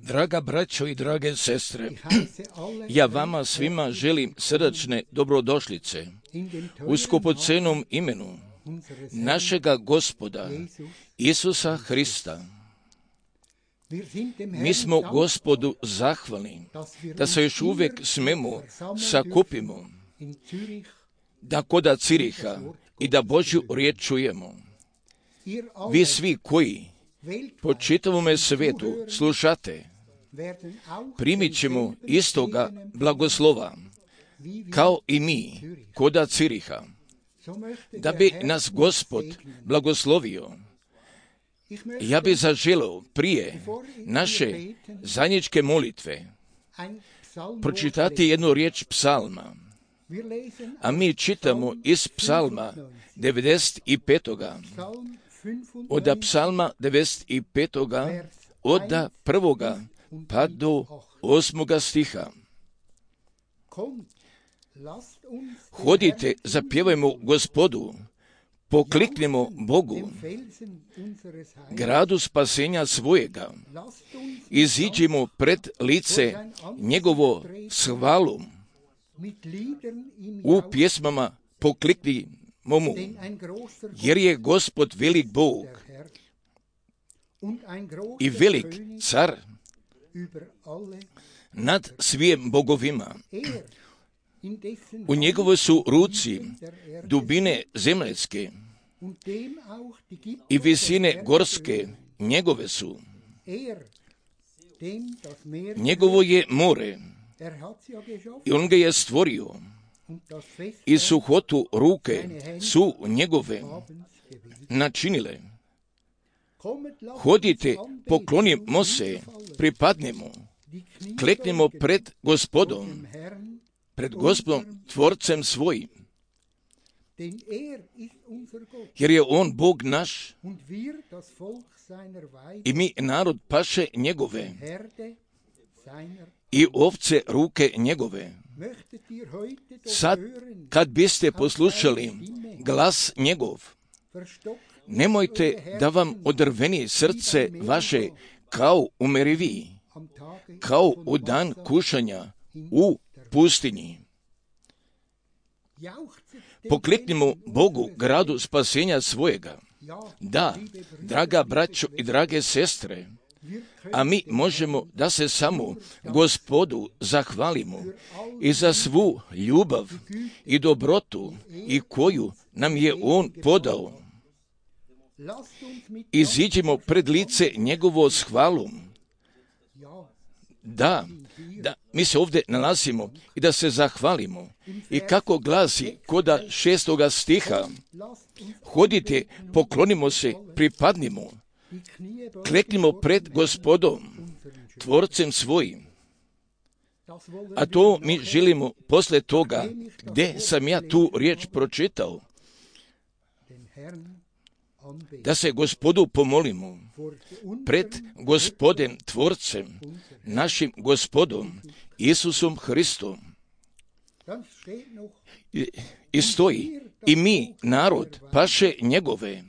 Draga braćo i drage sestre, ja vama svima želim srdačne dobrodošlice u skupocenom imenu našega Gospoda Isusa Hrista. Mi smo Gospodu zahvalni da se još uvijek smemo sakupimo, da koda Ciriha i da Božju riječ čujemo. Vi svi koji po čitavome svetu slušate, primit ćemo istoga blagoslova, kao i mi koda Ciriha, da bi nas Gospod blagoslovio. Ja bi zaželeo prije naše zajedničke molitve pročitati jednu riječ psalma, a mi čitamo iz psalma 95. Od psalma 95. od 1. pa do 8. stiha. Hodite, zapjevajmo Gospodu, pokliknimo Bogu, gradu spasenja svojega, iziđimo pred lice njegovo s hvalom, u pjesmama pokliknimo mu, jer je Gospod velik Bog i velik car nad svim bogovima. U njegovoj su ruci dubine zemljske i visine gorske njegove su. Njegovo je more i on ga je stvorio i suhotu ruke su njegove načinile. Hodite, poklonimo se, pripadnemo, kleknemo pred Gospodom Tvorcem svojim, jer je on Bog naš i mi narod paše njegove i ovce ruke njegove. Sad, kad biste poslušali glas njegov, nemojte da vam odrveni srce vaše kao u Meriviji, kao u dan kušanja u pustinji. Pokliknimo Bogu, gradu spasenja svojega. Da, draga braćo i drage sestre, a mi možemo da se samo Gospodu zahvalimo i za svu ljubav i dobrotu i koju nam je On podao. Iziđimo pred lice njegovo s hvalom. Da, mi se ovdje nalazimo i da se zahvalimo. I kako glasi koda 6. stiha, hodite, poklonimo se, pripadnimo, kleknimo pred Gospodom, Tvorcem svojim. A to mi želimo posle toga, gdje sam ja tu riječ pročitao, da se Gospodu pomolimo pred Gospodem Tvorcem, našim Gospodom, Isusom Hristom. I stoji, i mi, narod, paše njegove,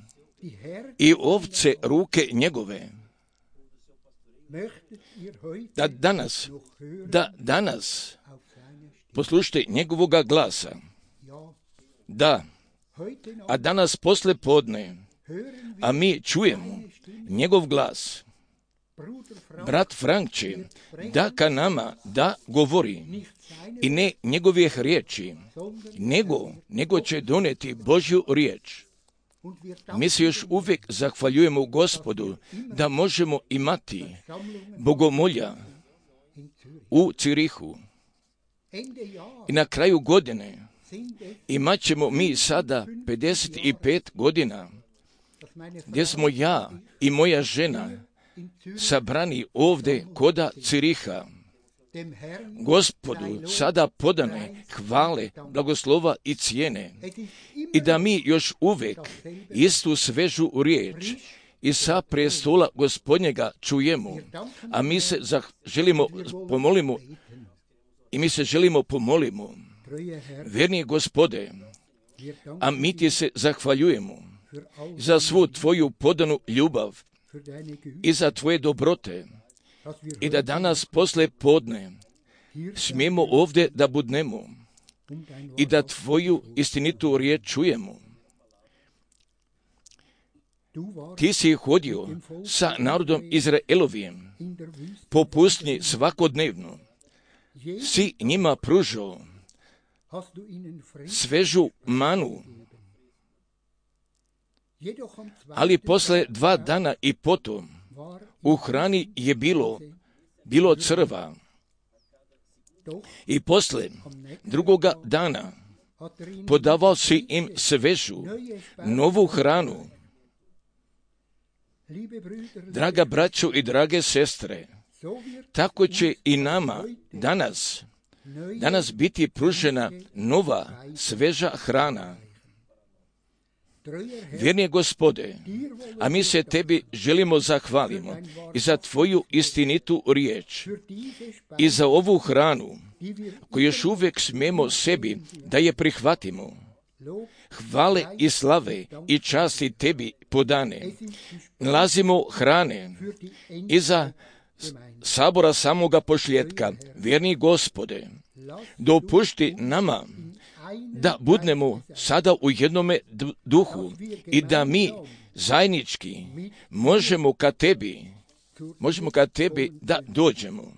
i ovce ruke njegove. Da danas poslušajte njegovoga glasa. Da, a danas posle podne, a mi čujemo njegov glas. Brat Frank će da ka nama da govori i ne njegovih riječi, nego će doneti Božju riječ. Mi se još uvijek zahvaljujemo Gospodu da možemo imati bogomolja u Cirihu. I na kraju godine imat ćemo mi sada 55 godina, gdje smo ja i moja žena sabrani ovdje koda Ciriha. Gospodu sada podane hvale, blagoslova i cijene, i da mi još uvijek istu svežu riječ i sa prestola Gospodnjega čujemo, a mi se želimo pomolimo. Verni Gospode, a mi ti se zahvaljujemo za svu tvoju podanu ljubav i za tvoje dobrote, i da danas posle podne smijemo ovdje da budnemo i da tvoju istinitu riječ čujemo. Ti si hodio sa narodom Izraelovim po pustinji svakodnevno, si njima pružao svežu manu, ali posle 2 dana i potom u hrani je bilo crva. I posle 2. dana podavao si im svežu, novu hranu. Draga braćo i drage sestre, tako će i nama danas biti pružena nova, sveža hrana. Vjerni Gospode, a mi se tebi želimo zahvalimo i za tvoju istinitu riječ i za ovu hranu koju još uvijek smijemo sebi da je prihvatimo. Hvale i slave i časti tebi podane. Nalazimo hrane iza sabora samoga pošljetka. Vjerni Gospode, dopušti nama da budnemo sada u jednome duhu i da mi zajednički možemo ka tebi da dođemo.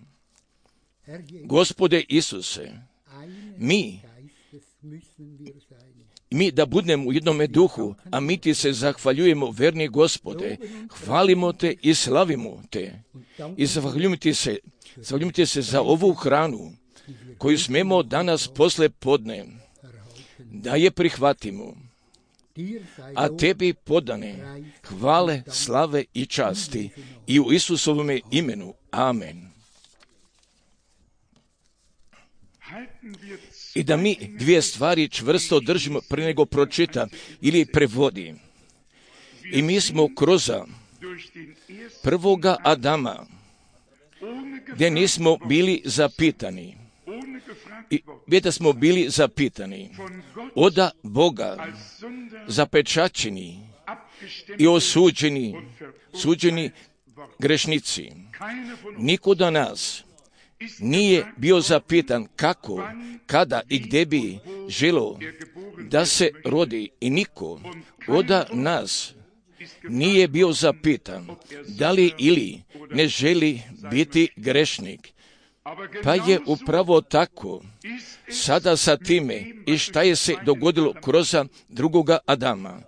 Gospode Isuse, mi da budemo u jednome duhu, a mi ti se zahvaljujemo, verni Gospode, hvalimo te i slavimo te i zahvaljujemo ti se za ovu hranu koju smemo danas posle podne da je prihvatimo, a tebi podane hvale, slave i časti i u Isusovome imenu. Amen. I da mi 2 stvari čvrsto držimo prije nego pročita ili prevodi. I mi smo kroz prvoga Adama, gdje nismo bili zapitani, i da smo bili zapitani oda Boga, zapečaćeni i suđeni grešnici. Niko da nas nije bio zapitan kako, kada i gdje bi želio da se rodi, i niko oda nas nije bio zapitan da li ili ne želi biti grešnik. Pa je upravo tako sada sa time i šta je se dogodilo kroz drugoga Adama.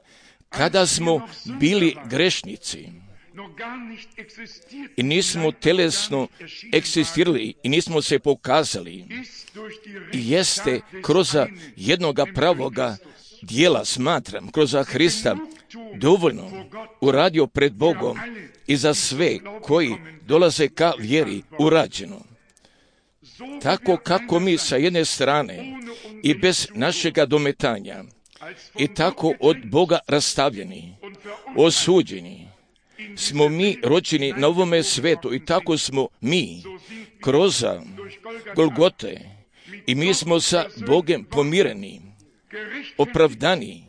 Kada smo bili grešnici i nismo telesno egzistirali i nismo se pokazali, jeste kroz jednoga pravoga dijela, smatram, kroz Hrista dovoljno uradio pred Bogom i za sve koji dolaze ka vjeri urađeno. Tako kako mi sa jedne strane i bez našega dometanja i tako od Boga rastavljeni, osuđeni, smo mi rođeni na ovome svetu i tako smo mi kroz Golgote i mi smo sa Bogom pomireni, opravdani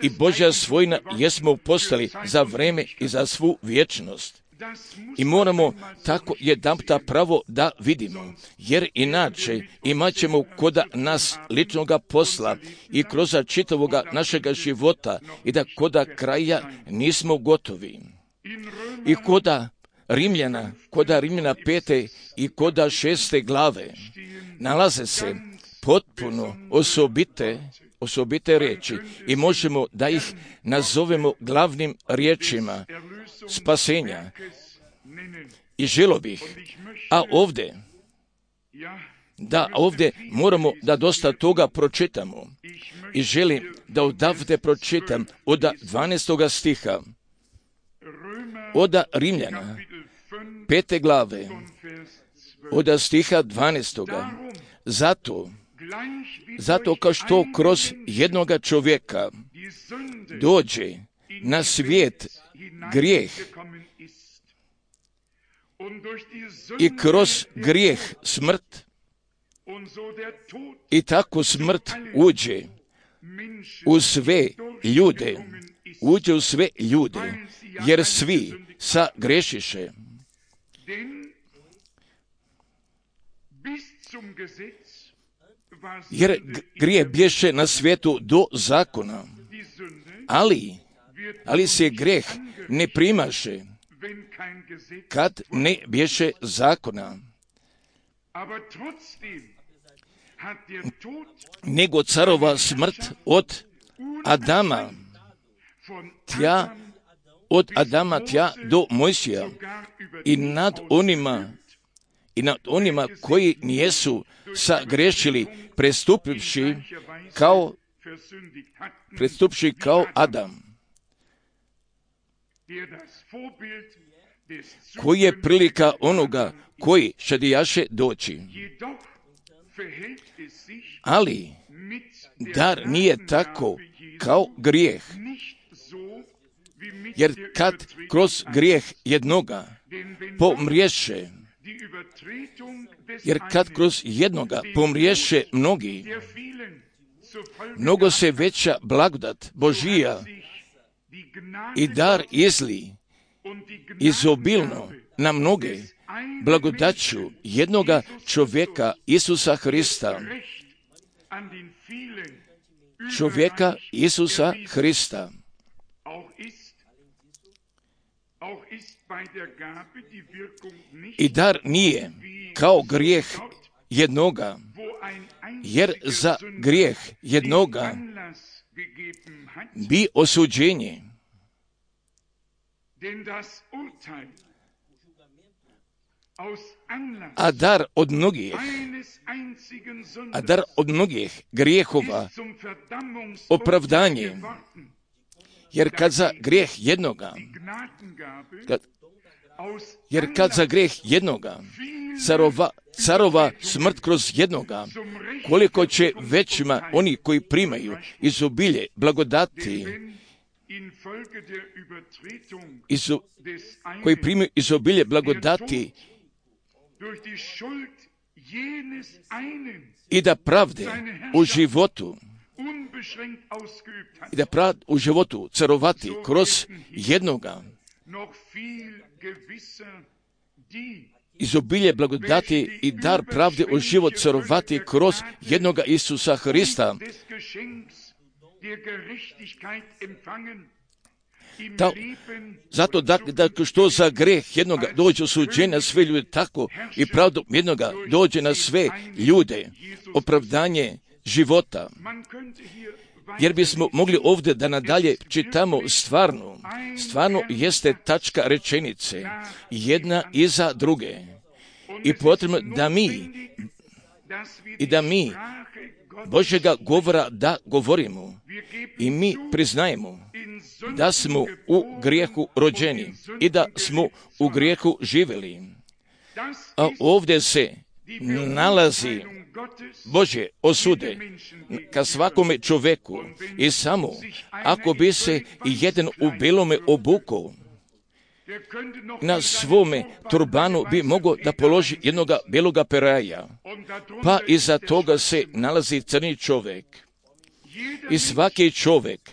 i Božja svojina jesmo postali za vreme i za svu vječnost. I moramo tako jedanputa pravo da vidimo, jer inače imat ćemo koda nas ličnoga posla i kroz čitavoga našega života i da koda kraja nismo gotovi. I koda Rimljana 5. i koda 6. glave nalaze se potpuno osobite riječi i možemo da ih nazovemo glavnim riječima spasenja. I želio bih, ovdje moramo da dosta toga pročitamo i želim da odavde pročitam od 12. stiha od Rimljana 5. glave od stiha 12. Zato kao što kroz jednoga čovjeka dođe na svijet grijeh i kroz grijeh smrt i tako smrt uđe u sve ljude, jer svi sagrešiše. Jer grijeh bješe na svijetu do zakona, ali se grijeh ne primaše kad ne bješe zakona. Nego carova smrt od Adama tja do Mojsija i nad onima koji nijesu sagrešili prestupivši kao Adam, koji je prilika onoga koji šedijaše doći. Ali dar nije tako kao grijeh, jer kad kroz grijeh jednoga pomriješe mnogi, mnogo se veća blagodat Božija i dar izli izobilno na mnoge blagodaću jednoga čovjeka Isusa Hrista. I dar nije kao grijeh jednoga, jer za grijeh jednoga bi osuđenje. A dar od mnogih grijehova opravdanje, jer kad za grijeh jednoga carova smrt kroz jednoga, koliko će većima oni koji primaju izobilje blagodati, koji primaju izobilje blagodati i da pravde u životu carovati kroz jednoga, izobilje blagodati i dar pravde u život carovati kroz jednoga Isusa Hrista. Zato da što za greh jednoga dođe osuđenje na sve ljude, tako i pravdom jednoga dođe na sve ljude opravdanje života. Jer bismo mogli ovdje da nadalje čitamo stvarno jeste tačka rečenice, jedna iza druge. I potrebno da mi Božjega govora da govorimo i mi priznajemo da smo u grijehu rođeni i da smo u grijehu živjeli. A ovdje se nalazi Božje osude ka svakome čovjeku i samo ako bi se jedan u belome obukao, na svome turbanu bi mogao da položi jednoga beloga peraja, pa iza toga se nalazi crni čovjek. I svaki čovjek,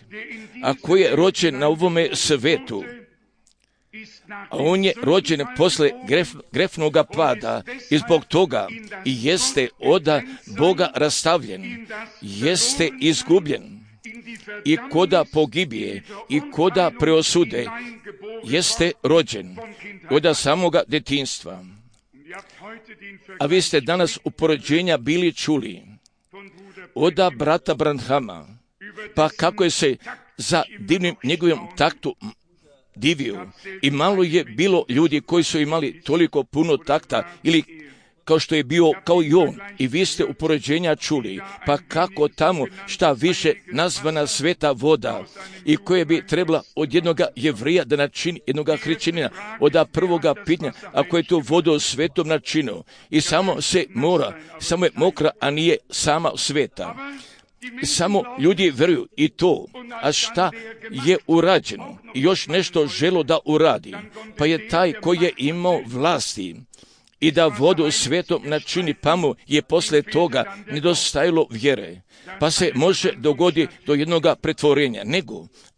a koji je rođen na ovome svetu, a on je rođen posle grefnoga pada i zbog toga i jeste od Boga rastavljen, jeste izgubljen i koda pogibije i koda preosude, jeste rođen od samoga detinjstva. A vi ste danas u poređenja bili čuli od brata Branhama, pa kako je se za divnim njegovim taktu divio. I malo je bilo ljudi koji su imali toliko puno takta ili kao što je bio kao i on. I vi ste u poređenja čuli, pa kako tamo šta više nazvana sveta voda i koje bi trebala od jednoga Jevrija da načini jednoga hrišćanina, od prvoga pitanja, ako je to vodu svetom načinio i samo se mora, samo je mokra, a nije sama sveta. Samo ljudi vjeruju i to, a šta je urađeno i još nešto želo da uradi, pa je taj koji je imao vlasti i da vodu svetom načini, pa mu je posle toga nedostajalo vjere, pa se može dogoditi do jednoga pretvorenja,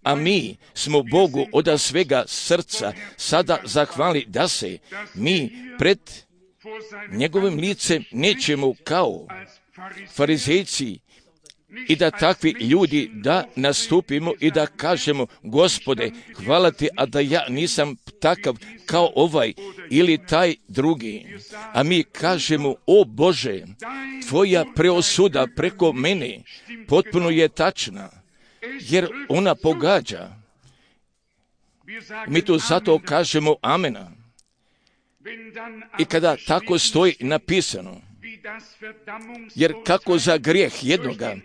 a mi smo Bogu od svega srca sada zahvali da se mi pred njegovim licem nećemo kao farizejci i da takvi ljudi da nastupimo i da kažemo: Gospode, hvala ti, a da ja nisam takav kao ovaj ili taj drugi. A mi kažemo: o Bože, tvoja preosuda preko mene potpuno je tačna, jer ona pogađa. Mi to zato kažemo amena. I kada tako stoji napisano, jer kako za grijeh jednoga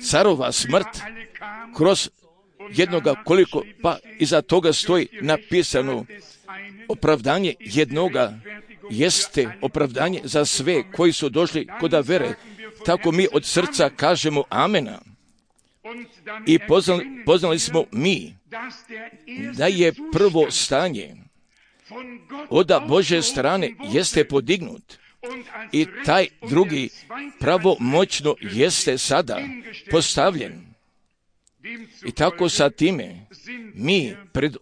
carova smrt kroz jednoga koliko, pa iza toga stoji napisano opravdanje jednoga jeste opravdanje za sve koji su došli kod vere. Tako mi od srca kažemo amena. I poznali smo mi da je prvo stanje od Božje strane jeste podignut i taj drugi pravomoćno jeste sada postavljen. I tako sa time mi pred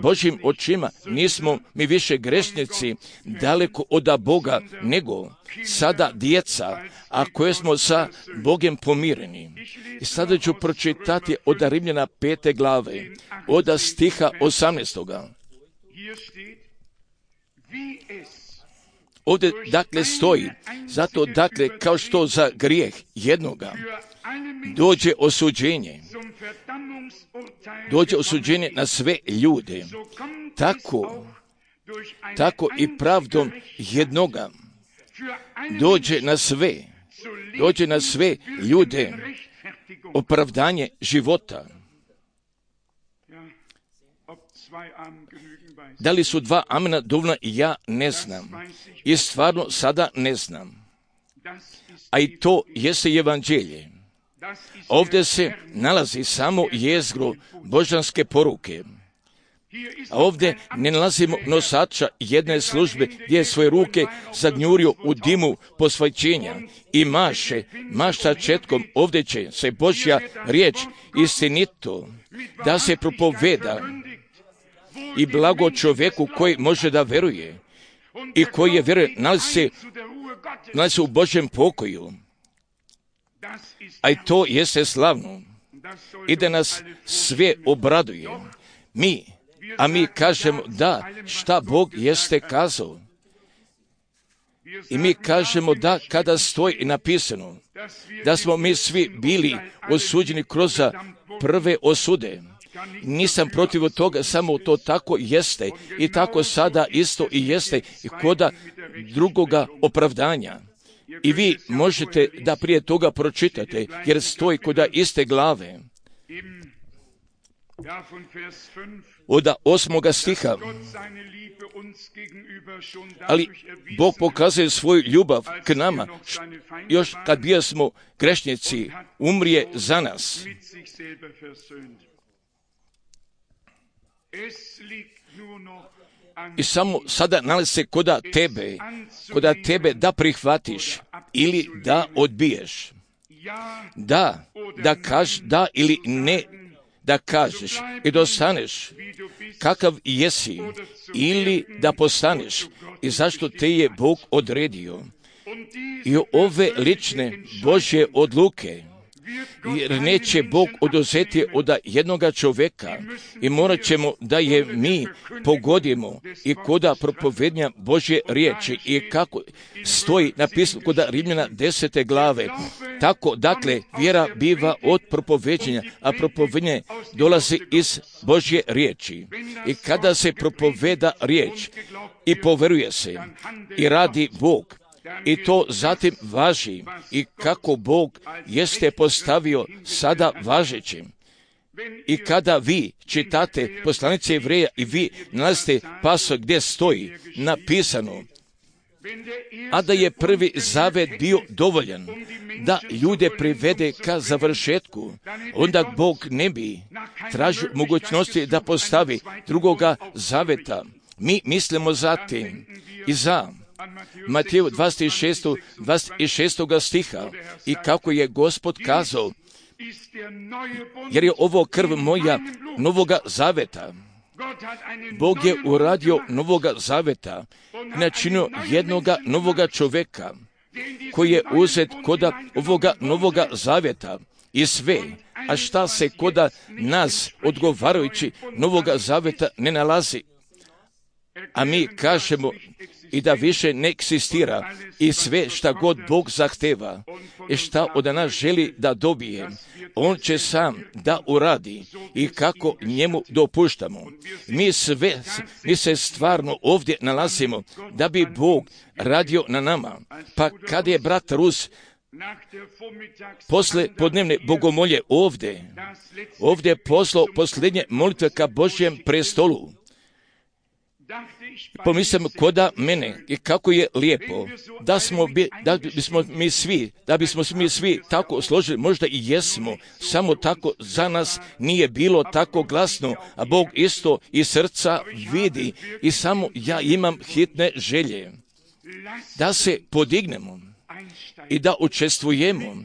Božjim očima nismo mi više grešnici daleko od Boga, nego sada djeca, a koje smo sa Bogom pomireni. I sada ću pročitati od Rimljana 5. glave, od stiha 18. Ovdje dakle stoji, zato dakle kao što za grijeh jednoga dođe osuđenje na sve ljude, tako i pravdom jednoga dođe na sve ljude opravdanje života. Da li su dva amena dovoljna, ja ne znam. I stvarno sada ne znam. A i to jeste evanđelje. Ovdje se nalazi samo jezgro božanske poruke. A ovdje ne nalazimo nosača jedne službe gdje je svoje ruke zagnjurio u dimu posvećenja i mašta četkom. Ovdje će se Božja riječ istinito da se propoveda i blago čovjeku koji može da veruje i koji je vjeruje, nalazi se u Božjem pokoju. A i to jeste slavno. i da nas sve obraduje. Mi kažemo da, šta Bog jeste kazao. I mi kažemo da kada stoji napisano da smo mi svi bili osuđeni kroz prve osude. Nisam protiv toga, samo to tako jeste i tako sada isto i jeste i koda drugoga opravdanja. I vi možete da prije toga pročitate, jer stoji koda iste glave. Od 8. stiha. Ali Bog pokazuje svoju ljubav k nama, još kad bio smo grešnici, umrije za nas. I samo sada nalazi se koda tebe da prihvatiš ili da odbiješ. Da kažeš da ili ne, da kažeš i da ostaneš kakav jesi ili da postaneš i zašto te je Bog odredio. I ove lične Božje odluke, jer neće Bog oduzeti od jednoga čovjeka i morat ćemo da je mi pogodimo i koda propovednja Božje riječi i kako stoji napisano koda Rimljana 10. glave. Tako, dakle, vjera biva od propoveđenja, a propovednje dolazi iz Božje riječi. I kada se propoveda riječ i poveruje se i radi Bog, i to zatim važi i kako Bog jeste postavio sada važećim. I kada vi čitate poslanice Jevreja i vi nalazite paso gdje stoji napisano, a da je prvi zavet bio dovoljan da ljude privede ka završetku, onda Bog ne bi tražio mogućnosti da postavi drugoga zaveta. Mi mislimo zatim i za Mateju 26. stiha i kako je Gospod kazao, jer je ovo krv moja novoga zaveta. Bog je uradio novoga zaveta i načinio jednoga novoga čovjeka koji je uzet koda ovoga novoga zaveta i sve, a šta se koda nas odgovarajući novoga zaveta ne nalazi. A mi kažemo i da više ne eksistira i sve šta god Bog zahteva i šta od nas želi da dobije, On će sam da uradi i kako njemu dopuštamo. Mi se stvarno ovdje nalazimo da bi Bog radio na nama. Pa kad je brat Rus posle podnevne bogomolje ovdje poslao posljednje molitve ka Božjem prestolu, pomislim koda mene i kako je lijepo da bismo mi svi tako složili, možda i jesmo, samo tako za nas nije bilo tako glasno, a Bog isto iz srca vidi i samo ja imam hitne želje da se podignemo i da učestvujemo,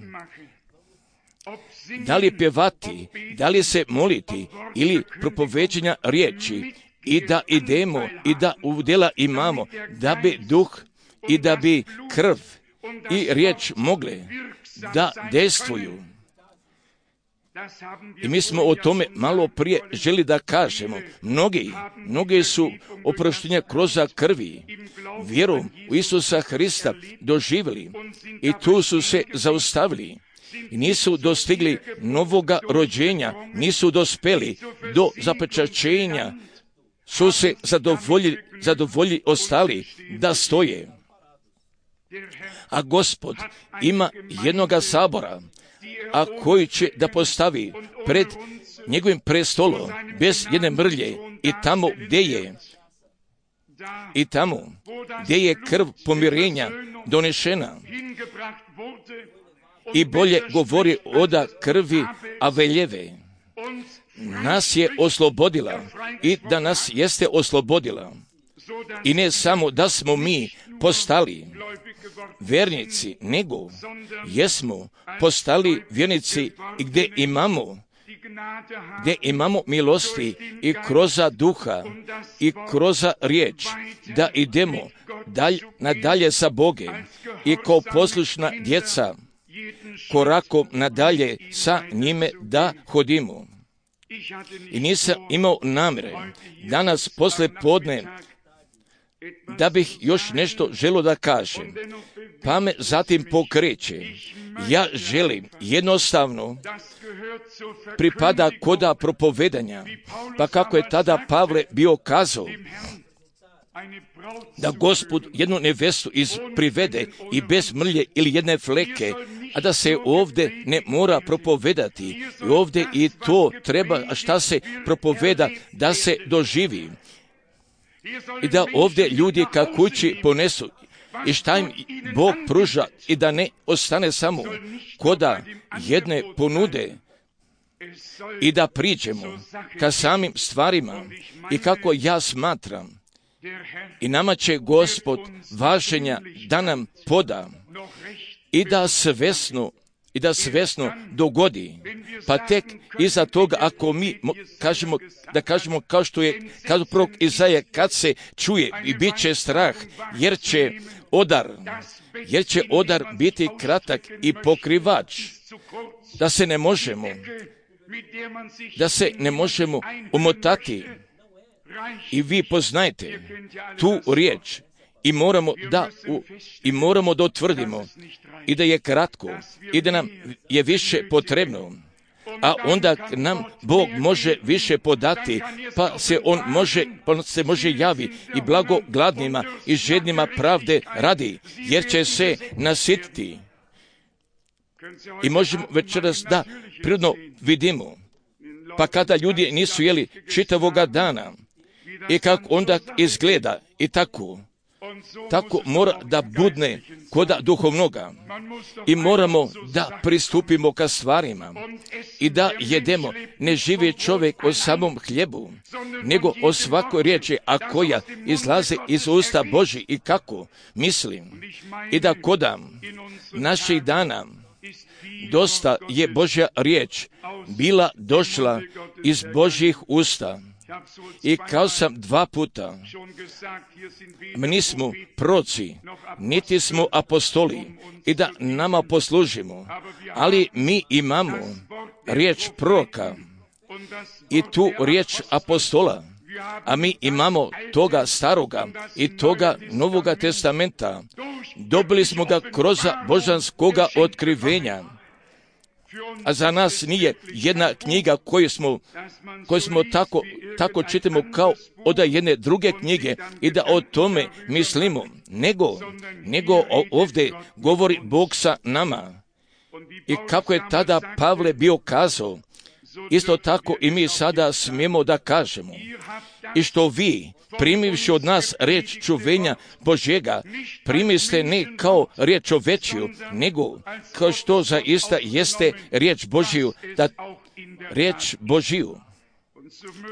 da li pjevati, da li se moliti ili propoveđenja riječi, i da idemo i da udjela imamo, da bi duh i da bi krv i riječ mogle da dejstvuju. I mi smo o tome malo prije želi da kažemo. Mnogi su oproštenja kroz krvi, vjerom u Isusa Hrista doživjeli i tu su se zaustavili. I nisu dostigli novoga rođenja, nisu dospeli do zapečaćenja, su se zadovoljili ostali da stoje. A Gospod ima jednoga sabora, a koji će da postavi pred njegovim prestolom bez jedne mrlje i tamo gdje je krv pomirenja donešena i bolje govori od krvi Aveljeve. Nas je oslobodila i da nas jeste oslobodila. I ne samo da smo mi postali vjernici, nego jesmo postali vjernici i gdje imamo milosti i kroz duha i kroz riječ da idemo nadalje sa Bogom i kao poslušna djeca korakom nadalje sa njime da hodimo. I nisam imao namjere danas poslije podne da bih još nešto želio da kažem, pa me zatim pokreće. Ja želim jednostavno pripada koda propovedanja, pa kako je tada Pavle bio kazao da Gospod jednu nevestu privede i bez mrlje ili jedne fleke, a da se ovdje ne mora propovedati. I ovdje i to treba, a šta se propoveda, da se doživi. I da ovdje ljudi ka kući ponesu i šta im Bog pruža i da ne ostane samo koda jedne ponude i da priđemo ka samim stvarima i kako ja smatram. I nama će Gospod važenja da nam poda i da svesno dogodi. Pa tek iza toga, ako mi kažemo kao što je kazao prorok Izaja, kad se čuje i bit će strah, jer će odar biti kratak i pokrivač, da se ne možemo umotati. I vi poznajte tu riječ i moramo da utvrdimo i da je kratko i da nam je više potrebno, a onda nam Bog može više podati, pa se može javi i blago gladnima i žednima pravde radi, jer će se nasititi. I možemo večeras da prirodno vidimo, pa kada ljudi nisu jeli čitavoga dana i kako onda izgleda i tako mora da budne koda duhovnoga i moramo da pristupimo ka stvarima i da jedemo. Ne živi čovjek o samom hljebu, nego o svakoj riječi, a koja izlaze iz usta Božji. I kako mislim i da kodam naših dana dosta je Božja riječ bila došla iz Božjih usta. I kao sam 2 puta, mi nismo proroci, niti smo apostoli i da nama poslužimo, ali mi imamo riječ proroka i tu riječ apostola, a mi imamo toga staroga i toga Novoga testamenta. Dobili smo ga kroz božanskoga otkrivenja. A za nas nije jedna knjiga koju smo tako čitamo kao od jedne druge knjige i da o tome mislimo, nego ovdje govori Bog sa nama. I kako je tada Pavle bio kazao, isto tako i mi sada smijemo da kažemo. I što vi, primivši od nas riječ čuvenja Božjega, primiste ne kao riječ čovečiju, nego kao što zaista jeste riječ Božju,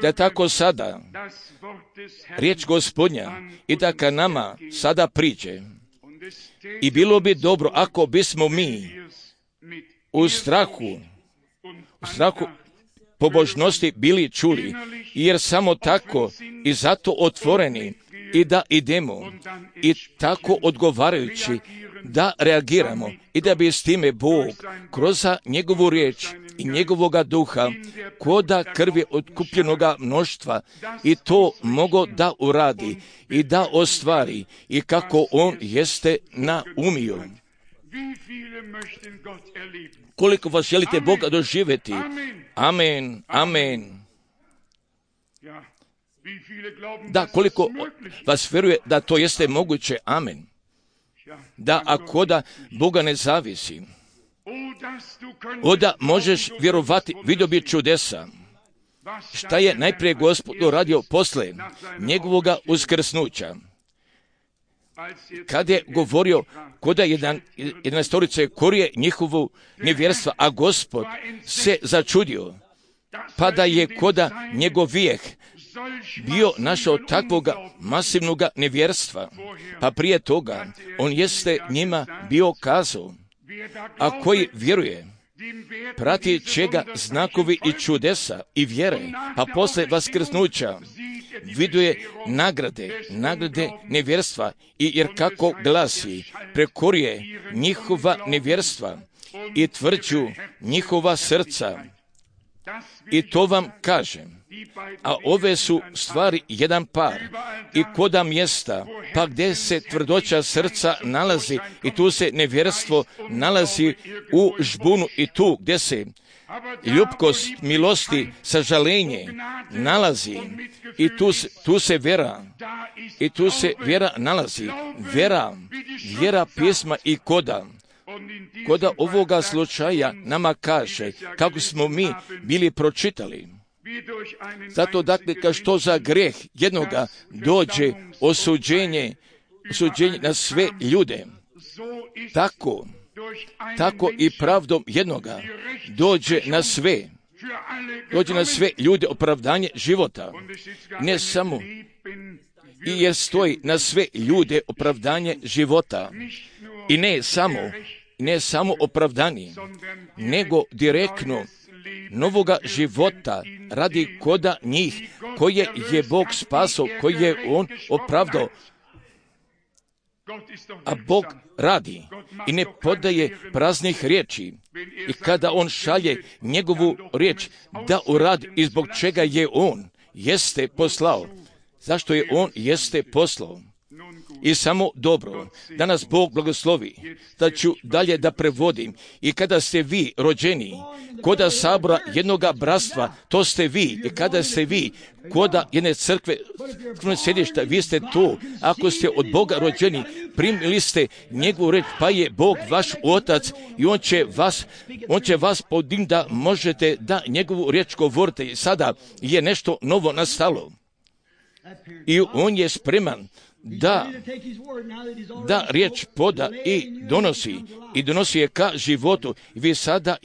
da tako sada riječ Gospodnja i da ka nama sada priđe. I bilo bi dobro ako bismo mi u strahu pobožnosti bili čuli, jer samo tako i zato otvoreni i da idemo i tako odgovarajući da reagiramo i da bi s time Bog kroz njegovu riječ i njegovoga duha koda krvi otkupljenoga mnoštva i to mogo da uradi i da ostvari i kako on jeste naumio. Koliko vas želite Boga doživjeti? Amen, amen. Da, koliko vas vjeruje da to jeste moguće? Amen. Da, ako da Boga ne zavisi, onda možeš vjerovati, vidio bi čudesa. Šta je najprije Gospod uradio posle njegovoga uskrsnuća? Kad je govorio koda 11 korije njihovu nevjerstva, a Gospod se začudio, pa da je koda njegov vijeh bio našao takvoga masivnoga nevjerstva, pa prije toga on jeste njima bio kazao, a koji vjeruje, prati čega znakovi i čudesa i vjere, pa posle vaskrsnuća viduje nagrade nevjerstva, i jer kako glasi, prekorije njihova nevjerstva i tvrđu njihova srca. I to vam kažem. A ove su stvari jedan par. I koda mjesta, pa gdje se tvrdoća srca nalazi, i tu se nevjerstvo nalazi u žbunu, i tu gdje se ljubkost, milosti, sažalenje nalazi, i tu se vera, i tu se vjera nalazi. Vjera pisma i koda ovoga slučaja nama kaže kako smo mi bili pročitali. Zato dakle, kao što za greh jednoga dođe osuđenje na sve ljude, tako i pravdom jednoga dođe na sve ljude opravdanje života. Ne samo, i jer stoji na sve ljude opravdanje života. I ne samo opravdani, nego direktno novoga života radi koda njih, koje je Bog spasao, koje je On opravdao. A Bog radi i ne podaje praznih riječi. I kada On šalje njegovu riječ da uradi i zbog čega je On jeste poslao. Zašto je On jeste poslao? I samo dobro, da nas Bog blagoslovi, da ću dalje da prevodim. I kada ste vi rođeni koda sabora jednoga bratstva, to ste vi. I kada ste vi koda jedne crkve sjedišta, vi ste tu. Ako ste od Boga rođeni, primili ste njegovu reč, pa je Bog vaš otac i on će vas podignuti da možete da njegovu riječ govorite. I sada je nešto novo nastalo. I on je spreman da riječ poda i donosi je ka životu. Vi sada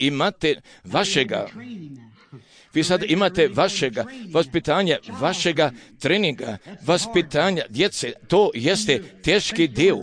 imate vašega vaspitanja, vašega treninga, vaspitanja djece. To jeste teški dio.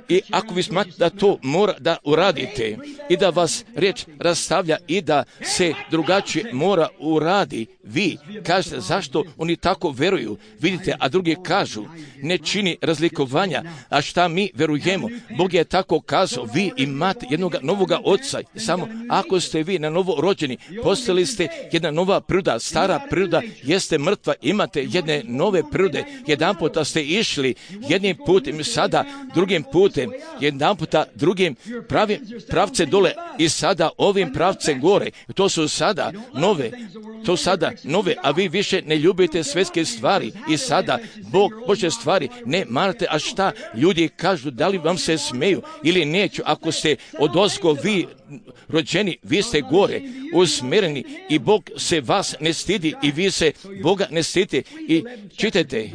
I ako vi smatrate da to mora da uradite i da vas riječ rastavlja i da se drugačije mora uradi, vi kažete zašto oni tako veruju. Vidite, a drugi kažu ne čini razlikovanja. A šta mi verujemo? Bog je tako kazao, vi imate jednog novoga oca. Samo ako ste vi na novo rođeni, postali ste jedna nova priroda. Stara priroda jeste mrtva, imate jedne nove prirode. Jedan puta ste išli jednim putem, sada drugim putem, jedan puta drugim pravce dole i sada ovim pravcem gore. To su sada nove, a vi više ne ljubite svjetske stvari i sada Božje stvari ne marate. A šta ljudi kažu, da li vam se smeju ili neću? Ako ste odozgo vi rođeni, vi ste gore usmjereni i Bog se vas ne stidi i vi se Boga ne stidite. I čitajte,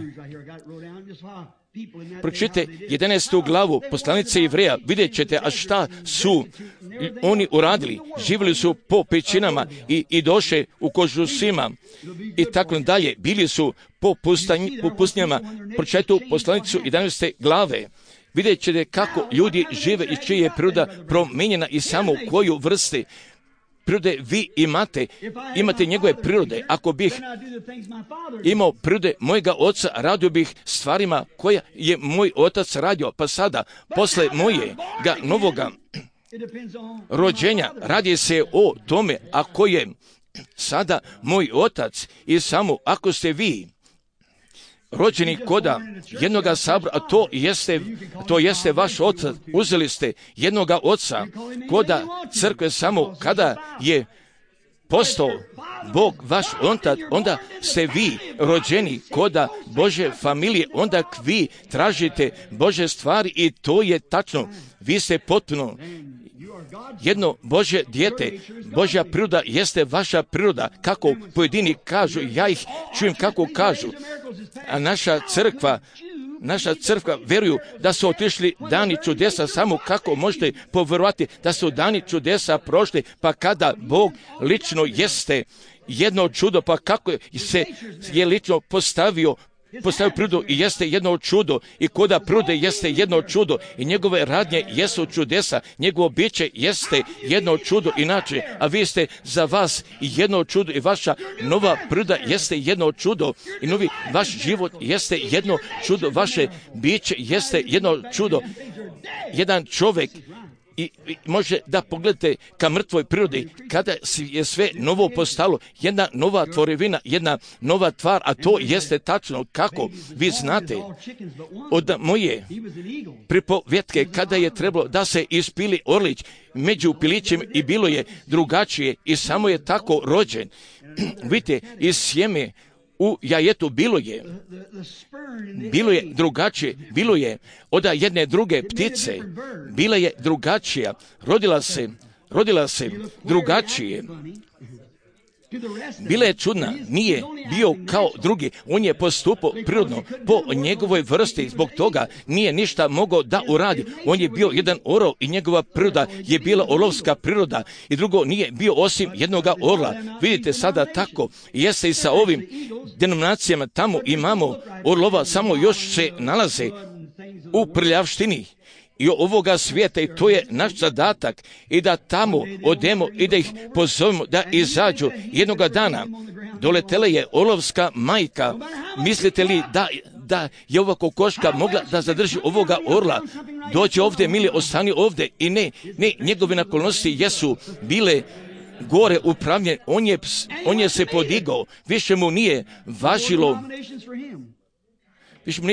pročitajte 11. glavu poslanice Ivreja, vidjet ćete, a šta su oni uradili. Živjeli su po pećinama i došle u kožusima i tako dalje. Bili su po pustinjama. Pročitajte poslanicu 11. glave. Vidjet ćete kako ljudi žive i čija je priroda promijenjena i samo u koju vrste prirode vi imate njegove prirode. Ako bih imao prirode mojega oca, radio bih stvarima koja je moj otac radio, pa sada, posle mojega novoga rođenja, radi se o tome ako je sada moj otac i samo ako ste vi rođeni koda jednoga sabora, a to jeste vaš otac. Uzeli ste jednoga oca koda crkve samo kada je postao Bog vaš otac, onda ste vi rođeni koda Bože familije, onda vi tražite Bože stvari i to je tačno. Vi ste potpuno jedno Božje dijete. Božja priroda jeste vaša priroda. Kako pojedini kažu, ja ih čujem kako kažu. A naša crkva veruju da su otišli dani čudesa, samo kako možete povjerovati da su dani čudesa prošli, pa kada Bog lično jeste jedno čudo, pa kako se je lično postavio prirodu i jeste jedno čudo i koda prirode jeste jedno čudo i njegove radnje jesu čudesa, njegovo biće jeste jedno čudo inače, a vi ste za vas jedno čudo i vaša nova priroda jeste jedno čudo i novi vaš život jeste jedno čudo, vaše biće jeste jedno čudo. Jedan čovjek I može da pogledate ka mrtvoj prirodi, kada je sve novo postalo, jedna nova tvorevina, jedna nova tvar, a to jeste tačno kako vi znate od moje pripovjetke, kada je trebalo da se ispili orlić među pilićem i bilo je drugačije i samo je tako rođen. Vidite, iz sjeme u jajetu bilo je drugačije, bilo je od jedne druge ptice, bila je drugačija, rodila se drugačije. Bila je čudna, nije bio kao drugi, on je postupao prirodno po njegovoj vrsti, zbog toga nije ništa mogao da uradi. On je bio jedan orao i njegova priroda je bila olovska priroda i drugo nije bio osim jednoga orla. Vidite sada tako, jeste i sa ovim denominacijama, tamo imamo orlova, samo još se nalaze u prljavštini i ovoga svijeta i to je naš zadatak i da tamo odemo i da ih pozovemo da izađu. Jednoga dana doletela je olovska majka. Mislite li da je ova kokoška mogla da zadrži ovoga orla? Dođe ovdje, mili, ostani ovdje. I ne, njegove naklonosti jesu bile gore upravljene. On je se podigao. Više mu nije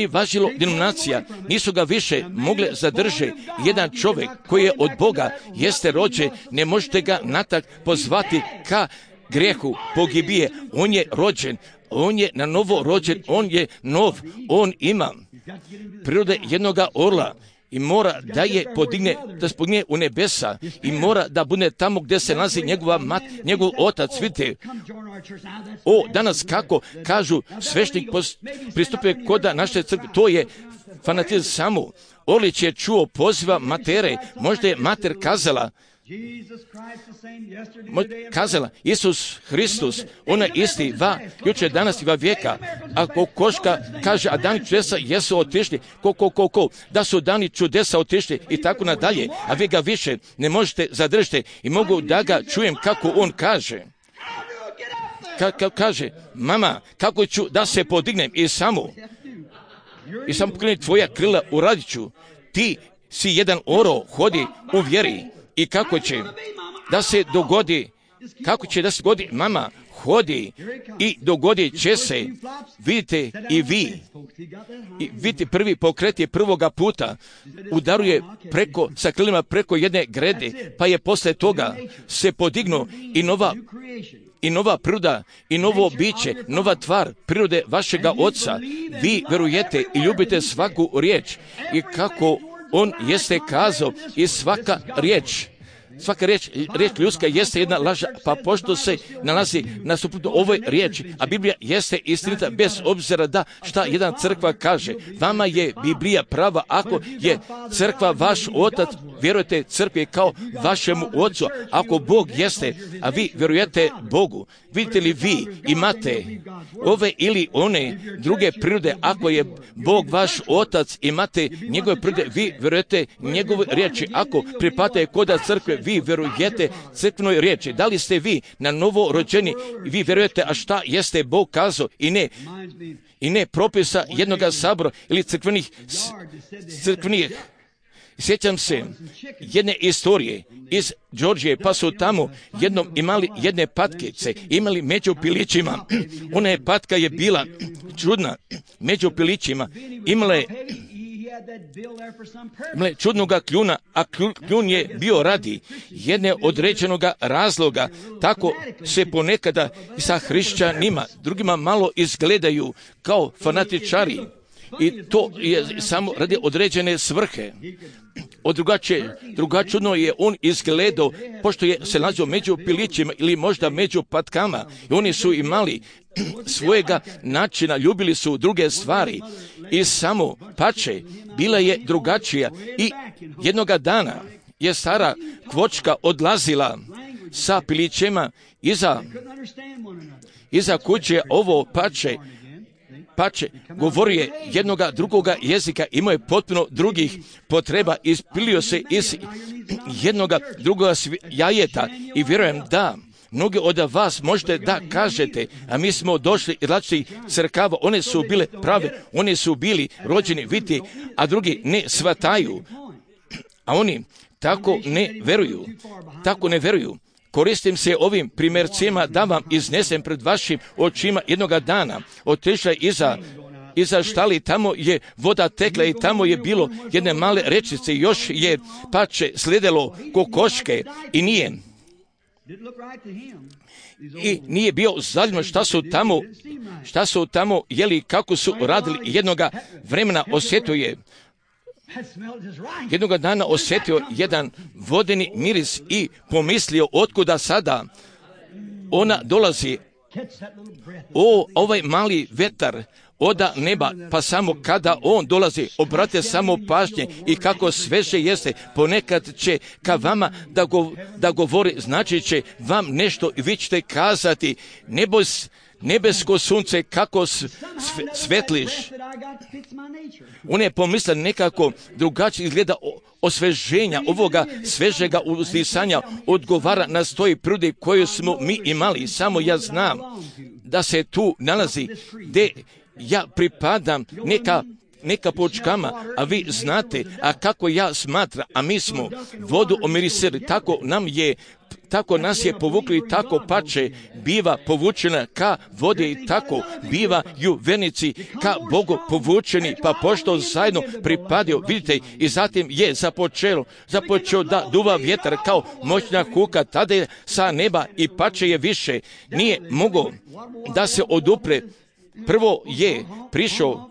važilo denominacija, nisu ga više mogle zadržati. Jedan čovjek koji je od Boga, jeste rođen, ne možete ga natak pozvati ka grijehu pogibije. On je rođen, on je na novo rođen, on je nov, on ima prirode jednoga orla i mora da je podigne, da spogne u nebesa i mora da bude tamo gdje se nalazi njegova njegov otac. Vidite, danas kako kažu svešnik pristupuje koda naše crkve, to je fanatizam samo. Orlić je čuo poziva matere, možda je mater kazala, Isus Hristus, ona isti, jučer, danas i va vijeka. Ako koška kaže, a dani čudesa jesu otišli, da su dani čudesa otišli i tako nadalje, a vi ga više ne možete zadržati i mogu da ga čujem kako on kaže. Kaže, mama, kako ću da se podignem i samo pokreni tvoja krila, uradit ću. Ti si jedan oro, hodi u vjeri. I kako će da se dogodi, mama, hodi i dogodit će se. Vidite i vi, vidite prvi pokret je prvoga puta, udaruje sa krilima preko jedne grede, pa je posle toga se podignuo i nova priroda, i novo biće, nova tvar prirode vašega oca. Vi verujete i ljubite svaku riječ i kako on jeste kazao i svaka riječ ljudska jeste jedna laž, pa pošto se nalazi na suprotno ovoj riječi, a Biblija jeste istinita bez obzira da šta jedna crkva kaže. Vama je Biblija prava, ako je crkva vaš otac, vjerujete crkvi kao vašemu ocu, ako Bog jeste, a vi vjerujete Bogu. Vidite li vi imate ove ili one druge prirode, ako je Bog vaš otac, imate njegove prirode, vi vjerujete njegove riječi, ako pripadate koda crkve, vi vjerujete crkvenoj riječi. Da li ste vi na novo rođeni, vi vjerujete, a šta jeste Bog kazao i ne propisa jednoga sabora ili crkvenih. Sjećam se jedne istorije iz Đorđije, pa su tamo jednom imali jedne patkice, imali među pilićima. Ona patka je bila čudna, među pilićima imala je čudnoga kljuna, a kljun je bio radi jedne određenoga razloga. Tako se ponekada sa hrišćanima, drugima malo izgledaju kao fanatičari. I to je samo radi određene svrhe. Drugačudno je on izgledao, pošto je se nalazio među pilićima ili možda među patkama. I oni su imali svojega načina, ljubili su druge stvari. I samo pače, bila je drugačija. I jednoga dana je stara kvočka odlazila sa pilićima iza kuće. Ovo pače govorio jednoga drugoga jezika, imao je potpuno drugih potreba, ispilio se iz jednoga drugoga jajeta i vjerujem da mnogi od vas možete da kažete, a mi smo došli iz različitih crkava, one su bile prave, one su bili rođeni, vidite, a drugi ne shvataju, a oni tako ne veruju. Koristim se ovim primjercima da vam iznesem pred vašim očima jednoga dana. Otišla iza štali, tamo je voda tekla i tamo je bilo jedne male rečice, još je pače slijedilo kokoške i nije bio zaljubno šta su tamo jeli, kako su radili. Jednoga vremena jednoga dana osjetio jedan vodeni miris i pomislio otkuda sada ona dolazi. Ovaj mali vetar oda neba, pa samo kada on dolazi, obratite samo pažnje i kako sveže jeste, ponekad će ka vama da govori, znači će vam nešto i vi ćete kazati, nebesko sunce, kako svetliš. On je pomislio nekako drugačije izgleda osveženja, ovoga svežega uzdisanja odgovara na stoji prudi koju smo mi imali. Samo ja znam da se tu nalazi gdje ja pripadam neka počkama, a vi znate, a kako ja smatram, a mi smo vodu omirisili, tako nas je povukli i tako pače biva povučena ka vodi i tako bivaju vernici ka Bogu povučeni, pa pošto zajedno pripadio, vidite, i zatim je započeo da duva vjetar kao moćna kuka, tada je sa neba i pače je više, nije mogao da se odupre. Prvo je prišao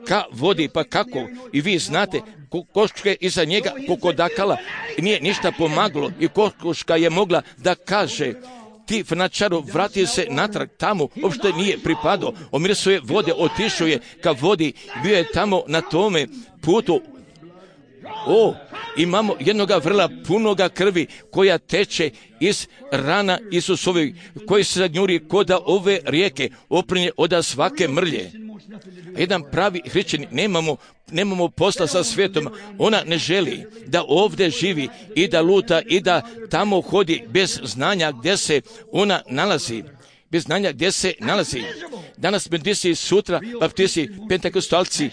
ka vodi, pa kako, i vi znate, kokoške iza njega kokodakala, nije ništa pomagalo i kokoška je mogla da kaže, ti fanačaru, vrati se natrag tamo, uopšte nije pripadao, omirisao je vode, otišao je ka vodi, bio je tamo na tome putu. Imamo jednoga vrla punoga krvi koja teče iz rana Isusovi, koji se zagnjuri koda ove rijeke, oprinje oda svake mrlje. Jedan pravi hrišćanin, nemamo posla sa svijetom, ona ne želi da ovdje živi i da luta i da tamo hodi bez znanja gdje se ona nalazi. Bez znanja gdje se nalazi. Danas baptisti, sutra baptisti, pentekostalci.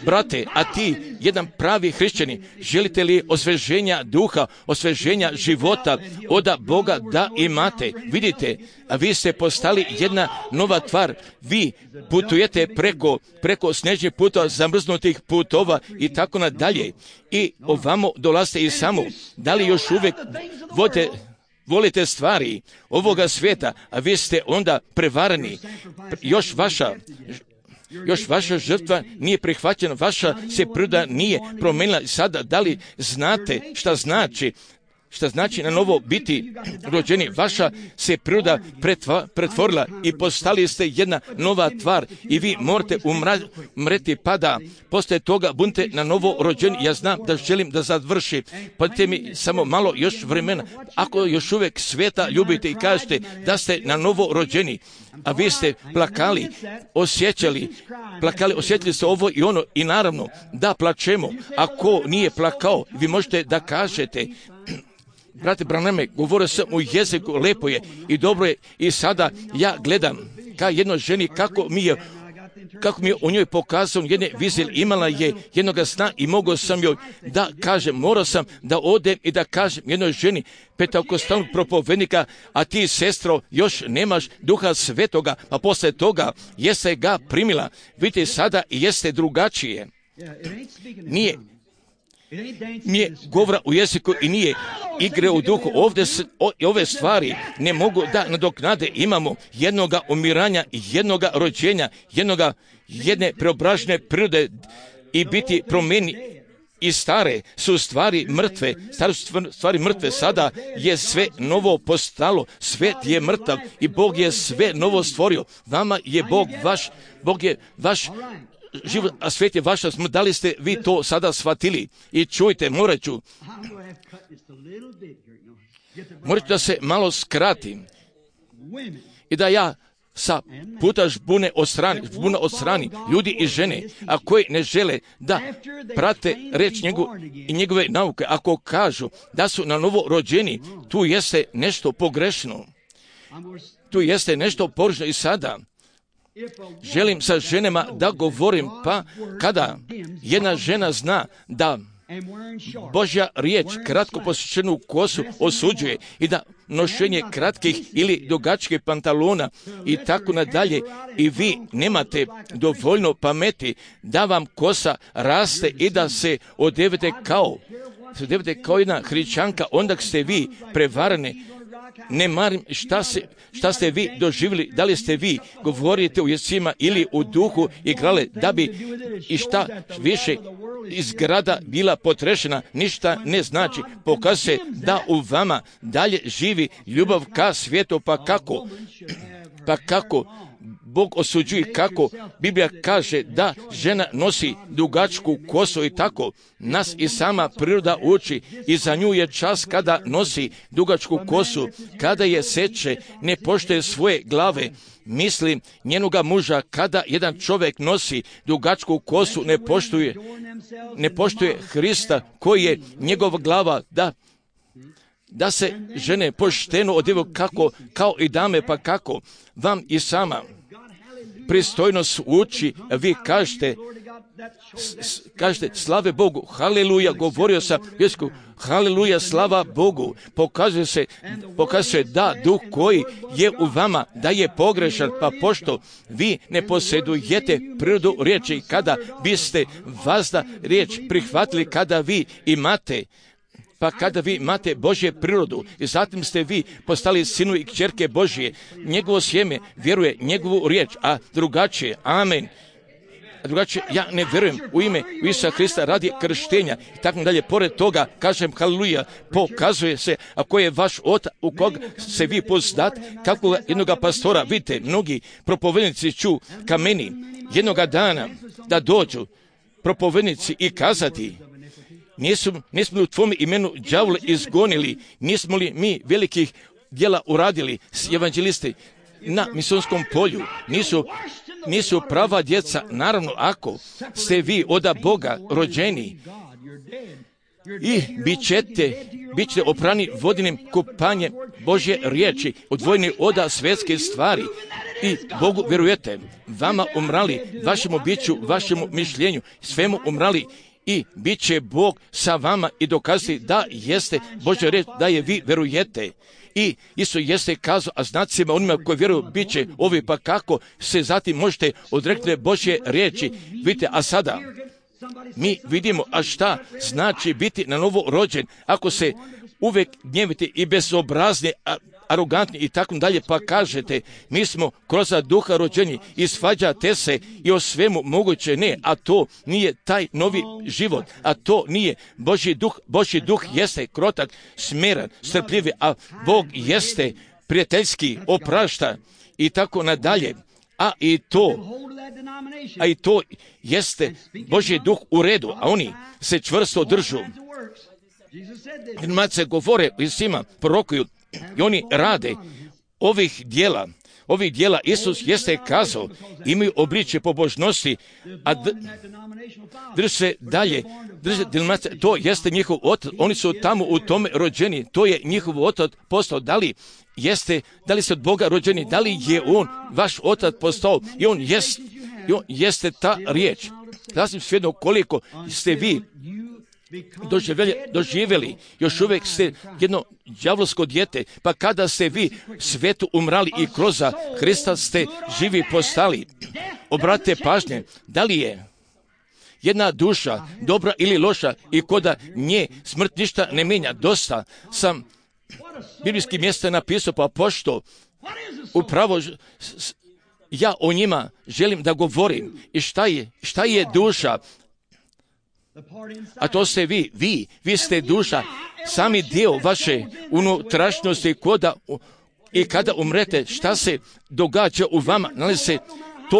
Brate, a ti, jedan pravi hrišćanin, želite li osveženja duha, osveženja života oda Boga da imate? Vidite, a vi ste postali jedna nova tvar. Vi putujete preko snežnih putova, zamrznutih putova i tako nadalje. I ovamo dolazite i samo. Da li još uvijek volite stvari ovoga svijeta, a vi ste onda prevarani. Još vaša žrtva nije prihvaćena, vaša se priroda nije promijenila. Sada, da li znate šta znači na novo biti rođeni? Vaša se priroda pretvorila i postali ste jedna nova tvar i vi morate umreti, pa da poslije toga budete na novo rođeni. Ja znam da želim da završi, pa dajte mi samo malo još vremena. Ako još uvijek svijeta ljubite i kažete da ste na novo rođeni, a vi ste plakali, osjećali ste ovo i ono, i naravno da plačemo. Ako nije plakao, vi možete da kažete, brate Branhame, govorio sam u jeziku, lepo je i dobro je, i sada ja gledam ka jednoj ženi kako mi je u njoj pokazao jedne vizije, imala je jednoga sna i mogao sam joj da kažem, morao sam da odem i da kažem jednoj ženi pentekostalnog propovednika, a ti, sestro, još nemaš Duha Svetoga, a posle toga jeste ga primila. Vidite, sada jeste drugačije. Nije govora u jeziku i nije igre u duhu. Ove stvari ne mogu da nadoknade. Imamo jednoga umiranja, jednoga rođenja, jedne preobražene prirode i biti promijeni. I stare su stvari mrtve, sada je sve novo postalo, svet je mrtav i Bog je sve novo stvorio. Vama je Bog je vaš život, a svijet je vaša smrt. Da li ste vi to sada shvatili? I čujte, morat ću da se malo skratim i da ja sa puta žbune od strani ljudi i žene, a koji ne žele da prate reč i njegove nauke. Ako kažu da su na novo rođeni, tu jeste nešto pogrešno. Tu jeste nešto pogrešno. I sada želim sa ženama da govorim, pa kada jedna žena zna da Božja riječ kratko posjećenu kosu osuđuje i da nošenje kratkih ili dugačkih pantalona i tako nadalje i vi nemate dovoljno pameti da vam kosa raste i da se odevete kao jedna hrišćanka, onda ste vi prevareni. Ne marim šta ste vi doživjeli, da li ste vi govorite u jezicima ili u duhu igrale, da bi i šta više iz grada bila potrešena, ništa ne znači. Pokazuje da u vama dalje živi ljubav ka svijetu, pa kako Bog osuđuje, kako Biblija kaže da žena nosi dugačku kosu i tako nas i sama priroda uči i za nju je čas kada nosi dugačku kosu, kada je seče, ne poštuje svoje glave. Mislim njenoga muža, kada jedan čovjek nosi dugačku kosu, ne poštuje Hrista koji je njegova glava, da se žene pošteno odjevu kao i dame, pa kako vam i sama pristojnost uči, vi kažete slave Bogu, haleluja, govorio sam jesku, haleluja, slava Bogu, pokazuje se da duh koji je u vama, da je pogrešan, pa pošto vi ne posjedujete prirodu riječi, kada biste vazda riječ prihvatili, kada vi imate Božje prirodu i zatim ste vi postali sinu i kćerke Božje, njegovo sjeme vjeruje njegovu riječ, a drugačije, amen. Drugačije, ja ne vjerujem u ime Isusa Hrista radi krštenja i tako dalje. Pored toga, kažem haleluja, pokazuje se ako je vaš otac u kog se vi pozdat, kako jednoga pastora, vidite, mnogi propovednici ću ka meni jednoga dana da dođu propovednici i kazati, nismo li u tvom imenu đavole izgonili, nismo li mi velikih djela uradili s evanđelisti na misijonskom polju, nisu prava djeca, naravno ako ste vi od Boga rođeni i bit ćete oprani vodinim kupanjem Božje riječi, odvojeni od svjetske stvari i Bogu vjerujete, vama umrali, vašemu biću, vašemu mišljenju, svemu umrali i bit će Bog sa vama i dokazati da jeste Božja riječ, da je vi vjerujete. I Isus jeste kazao, a znacima onima koji vjeruju bit će ovi, pa kako se zatim možete odreknuti Božje riječi. Vidite, a sada mi vidimo, a šta znači biti na novo rođen, ako se uvijek gnjevite i bezobrazni, arogantni i tako dalje, pa kažete, mi smo kroz duha rođeni i svađate se i o svemu moguće, ne, a to nije taj novi život, a to nije Božji duh. Božji duh jeste krotak, smiren, strpljivi, a Bog jeste prijateljski, oprašta i tako nadalje. A i to jeste Božji duh u redu, a oni se čvrsto držu. Mace govore i svima prorokuju i oni rade ovih dijela. Isus jeste kazao, imaju obličje pobožnosti, a drže se dalje, to jeste njihov otac, oni su tamo u tome rođeni, to je njihov otac postao. Da li ste od Boga rođeni, da li je on vaš otac postao i on jeste ta riječ. Sasvim svejedno koliko ste vi doživjeli, još uvijek ste jedno đavolsko dijete, pa kada ste vi svetu umrali i kroz Hrista ste živi postali. Obratite pažnje, da li je jedna duša dobra ili loša i koda nje smrt ništa ne mijenja. Dosta sam biblijskih mjesta napisao, pa pošto upravo ja o njima želim da govorim. I šta je duša? A to ste vi ste duša, sami dio vaše unutrašnjosti i kada umrete, šta se događa u vama, to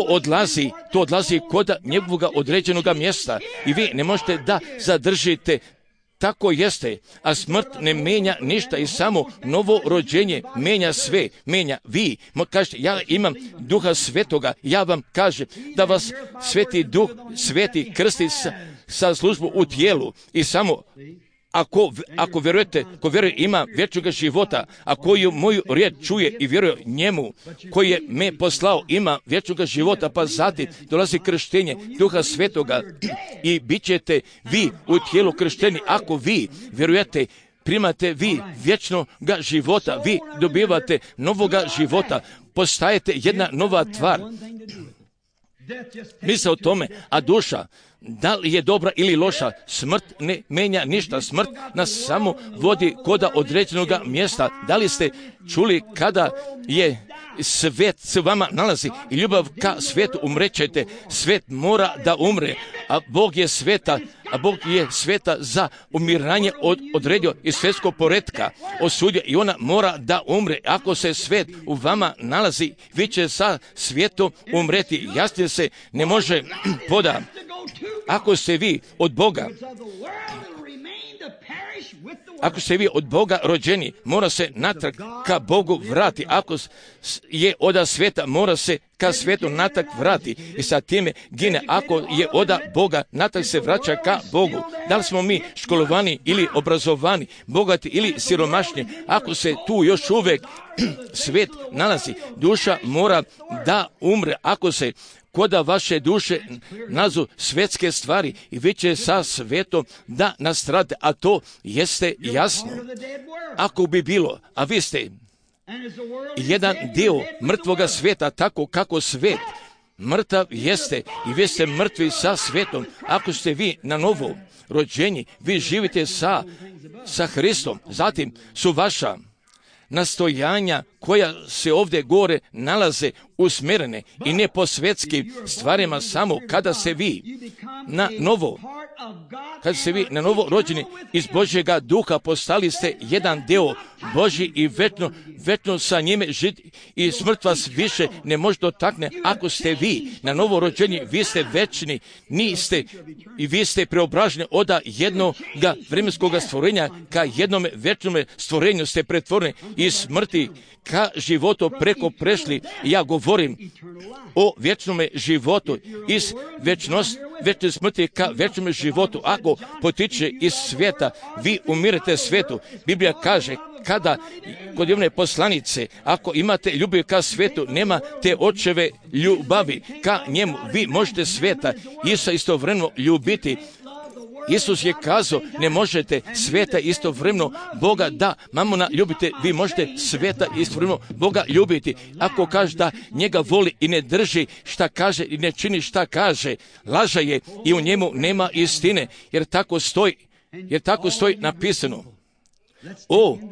odlazi kod njegovog određenog mjesta i vi ne možete da zadržite. Tako jeste, a smrt ne mijenja ništa i samo novo rođenje mijenja sve, mijenja vi. Kažete, ja imam duha svetoga, ja vam kažem da vas sveti duh, sveti krsti sa službu u tijelu i samo ako vjerujete, ko vjeruje ima vječnog života, a koju moju riječ čuje i vjeruje njemu, koji je me poslao, ima vječnog života, pa zatim dolazi krštenje Duha Svetoga i bit ćete vi u tijelu kršteni. Ako vi vjerujete, primate vi vječnoga života, vi dobivate novoga života, postajete jedna nova tvar. Misle o tome, a duša, da li je dobra ili loša, smrt ne menja ništa. Smrt nas samo vodi koda određenog mjesta. Da li ste čuli kada je svet se vama nalazi i ljubav ka svetu, umrećete? Svet mora da umre, a Bog je sveta za umiranje odredio iz svetskog poretka osudio i ona mora da umre. Ako se svet u vama nalazi, vi će sa svijetom umreti. Jasnije se ne može poda. Ako ste vi od Boga, ako ste vi od Boga rođeni, mora se natrag ka Bogu vrati. Ako je oda sveta, mora se ka svetu natrag vrati. I sa time gine. Ako je oda Boga, natrag se vraća ka Bogu. Da li smo mi školovani ili obrazovani, bogati ili siromašni, ako se tu još uvijek svet nalazi, duša mora da umre. Ako se koda vaše duše nazu svetske stvari i vi će sa svetom da nastrade, a to jeste jasno. Ako bi bilo, a vi ste jedan dio mrtvoga sveta, tako kako svet mrtav jeste i vi ste mrtvi sa svetom. Ako ste vi na novo rođeni, vi živite sa Hristom, zatim su vaša nastojanja koja se ovdje gore nalaze usmjerene i ne po svetskim stvarima, samo kada se vi na novo rođeni iz Božjega duha, postali ste jedan deo Božji i večno sa njime žiti i smrt vas više ne može dotakne. Ako ste vi na novo rođeni, vi ste večni, niste i vi ste preobraženi od jednoga vremenskog stvorenja ka jednom večnom stvorenju ste pretvoreni iz smrti ka životu preko prešli. Ja govorim o vječnom životu, iz večne smrti ka vječnom životu. Ako potiče iz svijeta, vi umirete svijetu. Biblija kaže, kada kod jedne poslanice, ako imate ljubav ka svijetu, nema te očeve ljubavi ka njemu. Vi možete svijeta istovremeno ljubiti. Isus je kazao, ne možete svijeta istovremeno Boga da mamona ljubite, vi možete svijeta istovremeno Boga ljubiti. Ako kaže da njega voli i ne drži šta kaže i ne čini šta kaže, laže je i u njemu nema istine, jer tako stoji napisano.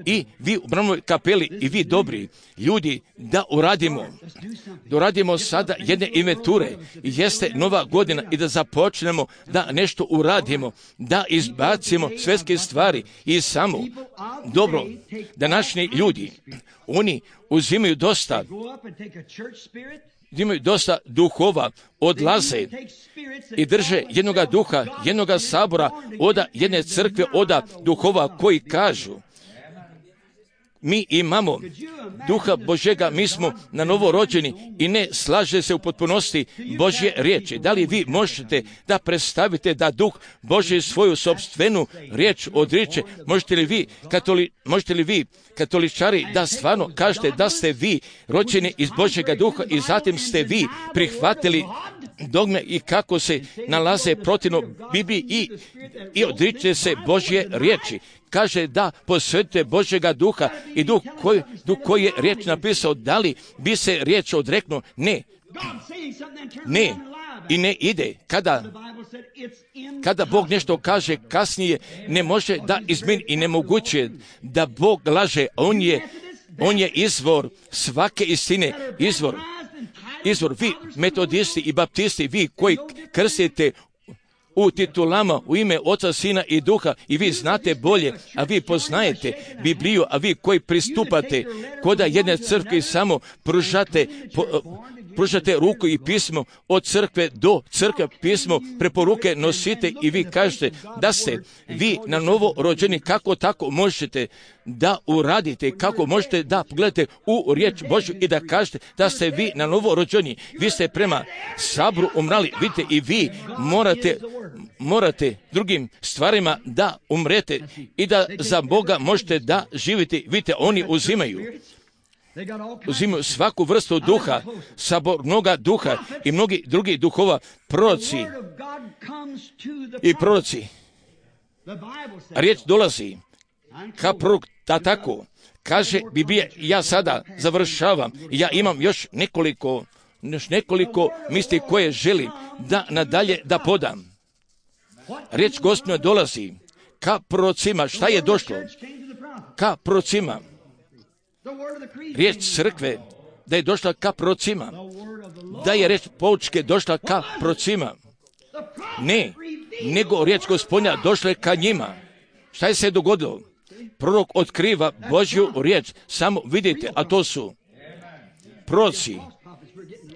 I vi u Branovoj kapeli i vi dobri ljudi, da uradimo sada jedne inventure, jeste nova godina i da započnemo da nešto uradimo, da izbacimo svjetske stvari i samo dobro. Današnji ljudi, oni uzimaju dosta duhova, odlaze i drže jednoga duha, jednoga sabora, oda jedne crkve, oda duhova koji kažu, mi imamo duha Božjega, mi smo na novo rođeni i ne slaže se u potpunosti Božje riječi. Da li vi možete da predstavite da duh Božji svoju sopstvenu riječ odriče? Možete li vi katoličari da stvarno kažete da ste vi rođeni iz Božjega duha i zatim ste vi prihvatili dogme i kako se nalaze protivno Bibliji i odričete se Božje riječi? Kaže da posvetite Božjega duha i duh koji je riječ napisao. Da li bi se riječ odreknuo? Ne. I ne ide. Kada Bog nešto kaže kasnije, ne može da izmeni i nemoguće da Bog laže. On je izvor svake istine. Izvor, vi metodisti i baptisti, vi koji krstite u titulama u ime Oca, Sina i Duha i vi znate bolje, a vi poznajete Bibliju, a vi koji pristupate koda jedne crkve samo pružate pružate ruku i pismo od crkve do crkve, pismo preporuke nosite i vi kažete da ste vi na novo rođeni, kako tako možete da uradite, kako možete da pogledate u riječ Božju i da kažete da ste vi na novo rođeni. Vi ste prema sabru umrali, vidite, i vi morate drugim stvarima da umrete i da za Boga možete da živite. Vidite, oni uzimaju svaku vrstu duha, sabornoga duha i mnogi drugi duhova, proroci i proroci. Riječ dolazi ka prorok, da tako kaže Biblija. Ja sada završavam, ja imam još nekoliko misli koje želim da nadalje da podam. Riječ Gospodnja dolazi ka prorocima. Šta je došlo? Ka prorocima. Riječ crkve da je došla ka prorocima. Da je riječ poučke došla ka prorocima. Ne, nego riječ Gospodnja došla je ka njima. Šta je se dogodilo? Prorok otkriva Božju riječ. Samo vidite, a to su proroci.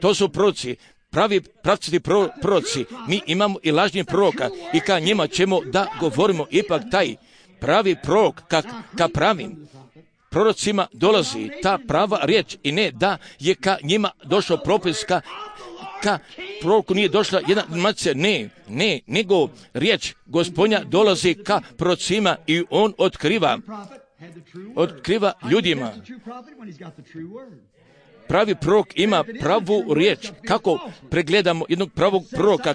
To su proroci. Pravi pravcati proroci. Mi imamo i lažnih proroka i ka njima ćemo da govorimo. Ipak taj pravi prorok ka pravim prorocima dolazi ta prava riječ i ne da je ka njima došao propis, ka proroku nije došla jedna informacija. Ne, nego riječ Gospodnja dolazi ka prorocima i on otkriva ljudima. Pravi prorok ima pravu riječ. Kako pregledamo jednog pravog proroka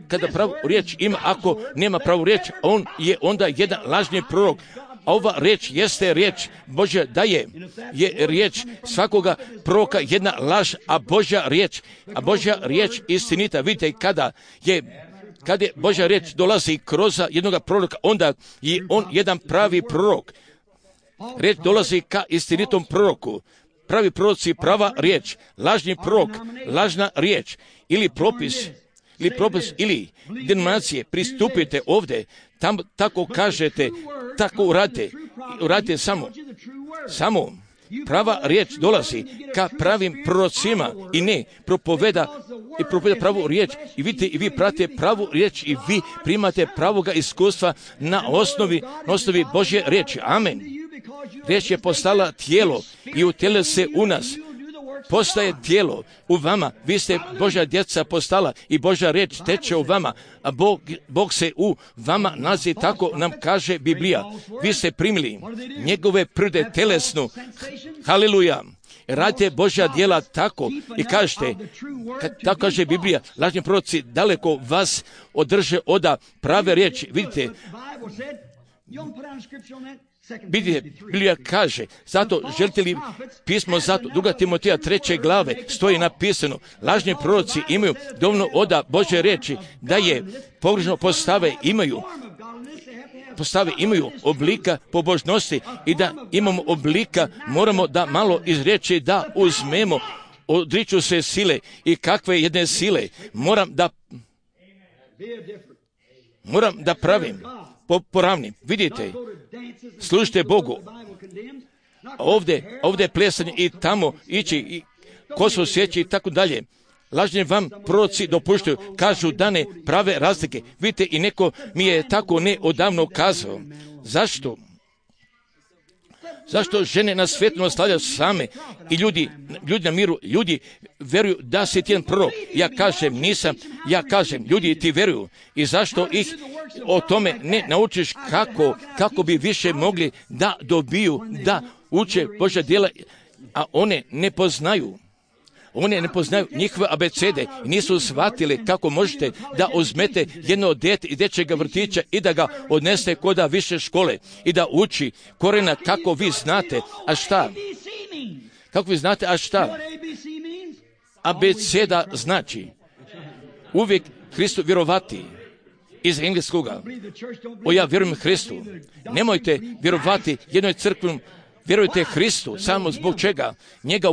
kada pravu riječ ima? Ako nema pravu riječ, on je onda jedan lažni prorok. A ova riječ jeste riječ Božja, da je riječ svakoga proroka jedna laž, a Božja riječ istinita. Vidite, kada je Božja riječ dolazi kroz jednog proroka, onda je on jedan pravi prorok. Riječ dolazi ka istinitom proroku. Pravi proroci, prava riječ, lažni prorok, lažna riječ ili propis ili denominacije. Pristupite ovdje, tam tako kažete, tako uradite samo prava riječ dolazi ka pravim prorocima i ne propoveda pravu riječ. I vidite, i vi pratite pravu riječ i vi primate pravoga iskustva na osnovi Božje riječi. Amen. Riječ je postala tijelo i utjela se u nas. Postaje tijelo u vama. Vi ste Božja djeca postala i Božja riječ teče u vama. A Bog se u vama nalazi, tako nam kaže Biblija. Vi ste primili njegove prde telesnu. Haleluja. Radite Božja djela tako i kažete, tako kaže Biblija, lažni proroci daleko vas održe od prave riječi. Vidite, Biblija kaže, zato želite li pismo, zato 2. Timoteja 3. glave stoji napisano, lažni proroci imaju dovoljno od Božje riječi, da je pogrešno postave imaju oblika pobožnosti i da imamo oblika, moramo da malo iz riječi da uzmemo, odriču se sile i kakve jedne sile, moram da pravim poravnim. Vidite, služite Bogu. Ovdje plesanje i tamo ići, i kosu sjeći i tako dalje. Lažni vam proroci dopuštaju, kažu da ne prave razlike. Vidite, i neko mi je tako neodavno kazao. Zašto? Zašto žene na svijetu stavljaju same i ljudi na miru, ljudi veruju da si ti jedan prorok. Ja kažem, nisam, ljudi ti veruju. I zašto ih o tome ne naučiš kako bi više mogli da dobiju, da uče Božja djela, a one ne poznaju njihove abecede i nisu shvatili kako možete da uzmete jedno dete iz dječjega vrtića i da ga odneste kod više škole i da uči korena kako vi znate. A šta? Kako vi znate, a šta? Abeceda znači uvijek Hristu vjerovati. Iz engleskoga. Ja vjerujem Hristu. Nemojte vjerovati jednoj crkvi. Vjerujte Hristu, samo zbog čega njega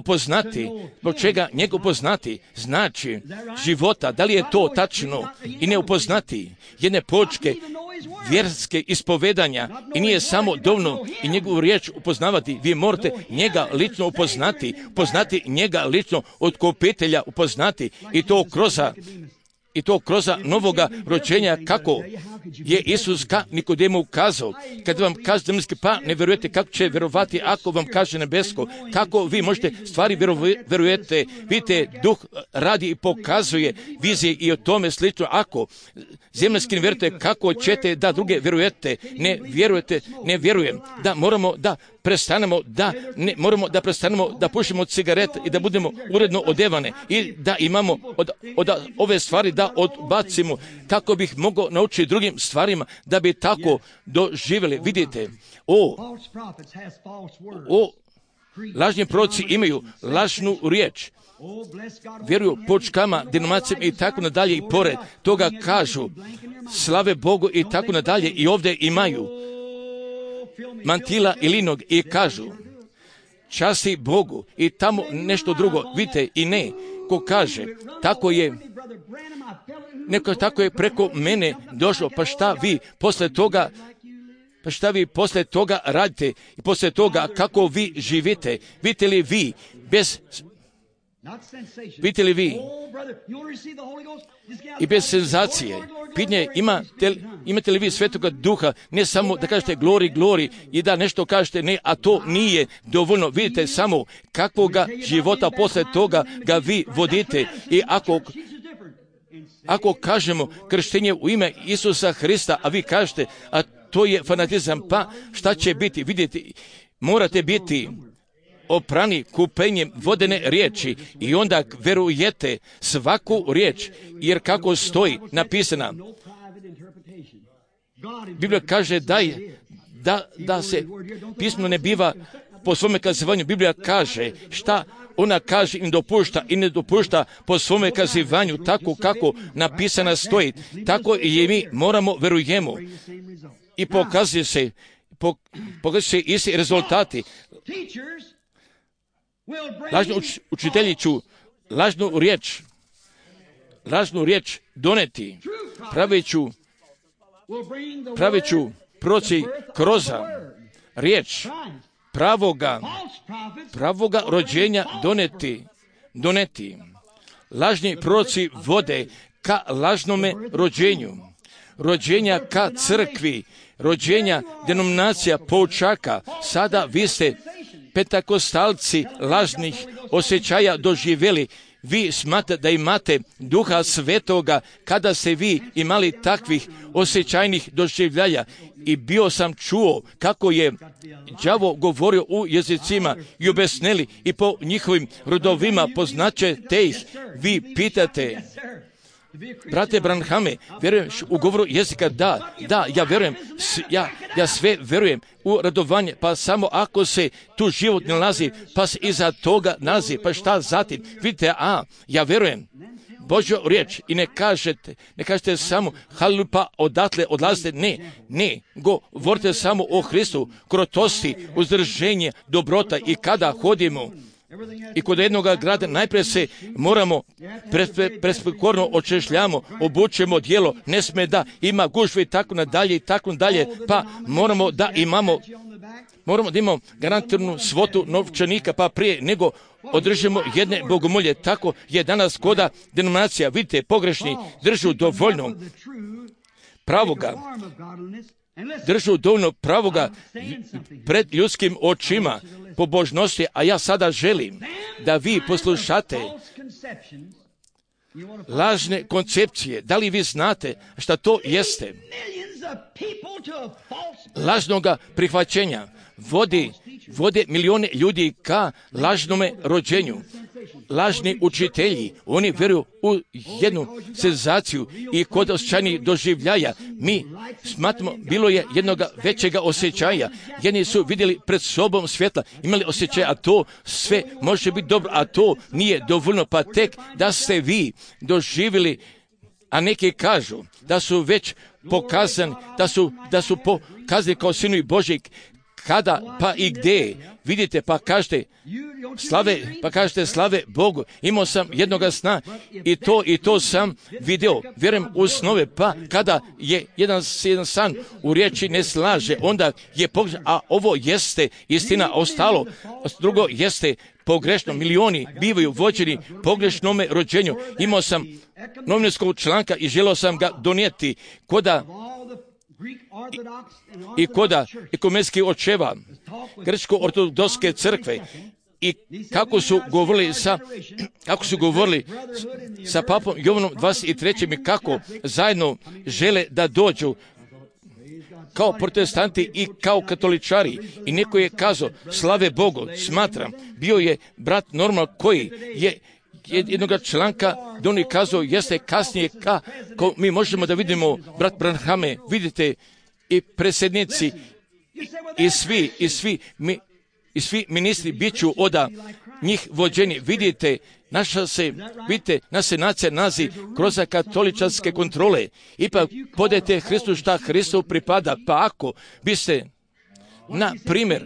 upoznati, znači života. Da li je to tačno i ne upoznati jedne poučke vjerske ispovedanja i nije samo dovoljno i njegovu riječ upoznavati. Vi morate njega lično upoznati njega lično od kopitelja upoznati i to kroz novoga rođenja, kako je Isus ka Nikodemu ukazao. Kad vam kaže zemaljski, pa ne vjerujete, kako će vjerovati ako vam kaže nebesko? Kako vi možete stvari vjerujete? Vidite, Duh radi i pokazuje vizije i o tome slično. Ako zemaljski ne vjerujete, kako ćete da druge vjerujete? Ne vjerujem. Da moramo da prestanemo da pušimo cigarete i da budemo uredno odevane i da imamo od ove stvari da odbacimo, kako bih mogao naučiti drugim stvarima da bi tako doživjeli. Vidite, lažni proroci imaju lažnu riječ, vjeruju počkama, denominacijama i tako nadalje, i pored toga kažu slave Bogu i tako nadalje, i ovdje imaju mantila i linog i kažu časti Bogu i tamo nešto drugo. Vidite, i ne, ko kaže tako je, neko tako je preko mene došlo, pa šta vi posle toga radite i posle toga kako vi živite? Vidite li vi i bez senzacije? Pitanje, imate li vi Svetoga Duha, ne samo da kažete glori i da nešto kažete, ne, a to nije dovoljno. Vidite samo kakvoga života posle toga ga vi vodite. I ako kažemo krštenje u ime Isusa Hrista, a vi kažete, a to je fanatizam, pa šta će biti? Vidite, morate biti oprani kupenjem vodene riječi i onda verujete svaku riječ, jer kako stoji napisana, Biblija kaže da se pismo ne biva po svome kazivanju. Biblija kaže šta ona kaže i ne dopušta po svome kazivanju, tako kako napisana stoji. Tako i mi moramo verujemo i pokazuje se isti rezultati. Lažni učitelji ću lažnu riječ doneti, praveću proci kroz riječ pravoga rođenja doneti. Lažni proroci vode ka lažnome rođenja ka crkvi, rođenja denominacija poučaka. Sada vi ste pentakostalci lažnih osjećaja doživjeli. Vi smatrate da imate Duha Svetoga kada ste vi imali takvih osjećajnih doživljaja. I bio sam čuo kako je đavo govorio u jezicima i objasnili i po njihovim rodovima poznaćete ih. Vi pitate, brate Branhame, vjeruješ u govoru jezika? Da, ja vjerujem, ja sve vjerujem u radovanje, pa samo ako se tu život ne nalazi, pa se iza toga nalazi, pa šta zatim? Vidite, ja vjerujem Božju riječ i ne kažete samo haleluja, pa odatle odlazite, ne, govorite samo o Hristu, krotosti, uzdrženje, dobrota. I kada hodimo i kod jednog grada najprije se moramo presporno očešljamo, obučemo dijelo, ne sme da ima gužve i tako nadalje, pa moramo da imamo garantiranu svotu novčanika, pa prije nego održimo jedne bogomolje. Tako je danas koda denominacija, vidite, pogrešni držu dovoljno pravoga pred ljudskim očima pobožnosti, a ja sada želim da vi poslušate lažne koncepcije. Da li vi znate šta to jeste? Lažnoga prihvaćenja vode milijone ljudi ka lažnome rođenju. Lažni učitelji, oni vjeruju u jednu senzaciju i kod osjećajnih doživljaja. Mi smatramo, bilo je jednog većega osjećaja. Jedni su vidjeli pred sobom svjetla, imali osjećaj, a to sve može biti dobro, a to nije dovoljno, pa tek da ste vi doživjeli, a neki kažu da su već pokazani, da su pokazani kao sinovi Božji kada, pa i gdje, vidite, pa kažete slave Bogu. Imao sam jednoga sna i to sam video. Vjerujem u snove, pa kada je jedan san u riječi ne slaže, onda je pogrešno, a ovo jeste istina, ostalo drugo jeste pogrešno. Milioni bivaju vođeni pogrešnome rođenju. Imao sam novinarskog članka i želio sam ga donijeti i koda ekumenskih očeva grčko-ortodokske crkve i kako su govorili sa papom Jovanom 23. i kako zajedno žele da dođu kao protestanti i kao katoličari. I neko je kazao, slave Bogu, smatram, bio je brat Normal koji je jednoga članka da on je kazao, jeste kasnije kako mi možemo da vidimo brat Branhame, vidite i predsjednici i svi ministri bit ću od njih vođeni. Vidite, naša nacija nazi kroz katoličanske kontrole. Ipak podajte Hristu šta Hristu pripada. Pa ako biste, na primjer,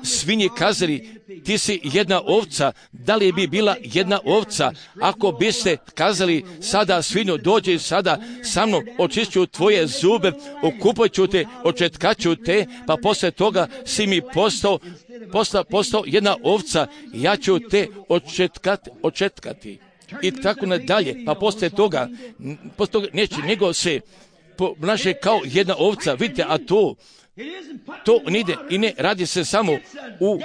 svinji kazali, ti si jedna ovca, da li bi bila jedna ovca ako biste kazali sada svinju, dođi sada sa mnom, očišću tvoje zube, okupat ću te, očetkat ću te, pa poslije toga si mi postao jedna ovca, ja ću te očetkati. I tako nadalje, pa poslije toga neće nego se ponaša kao jedna ovca, vidite, a to ide i ne radi se samo u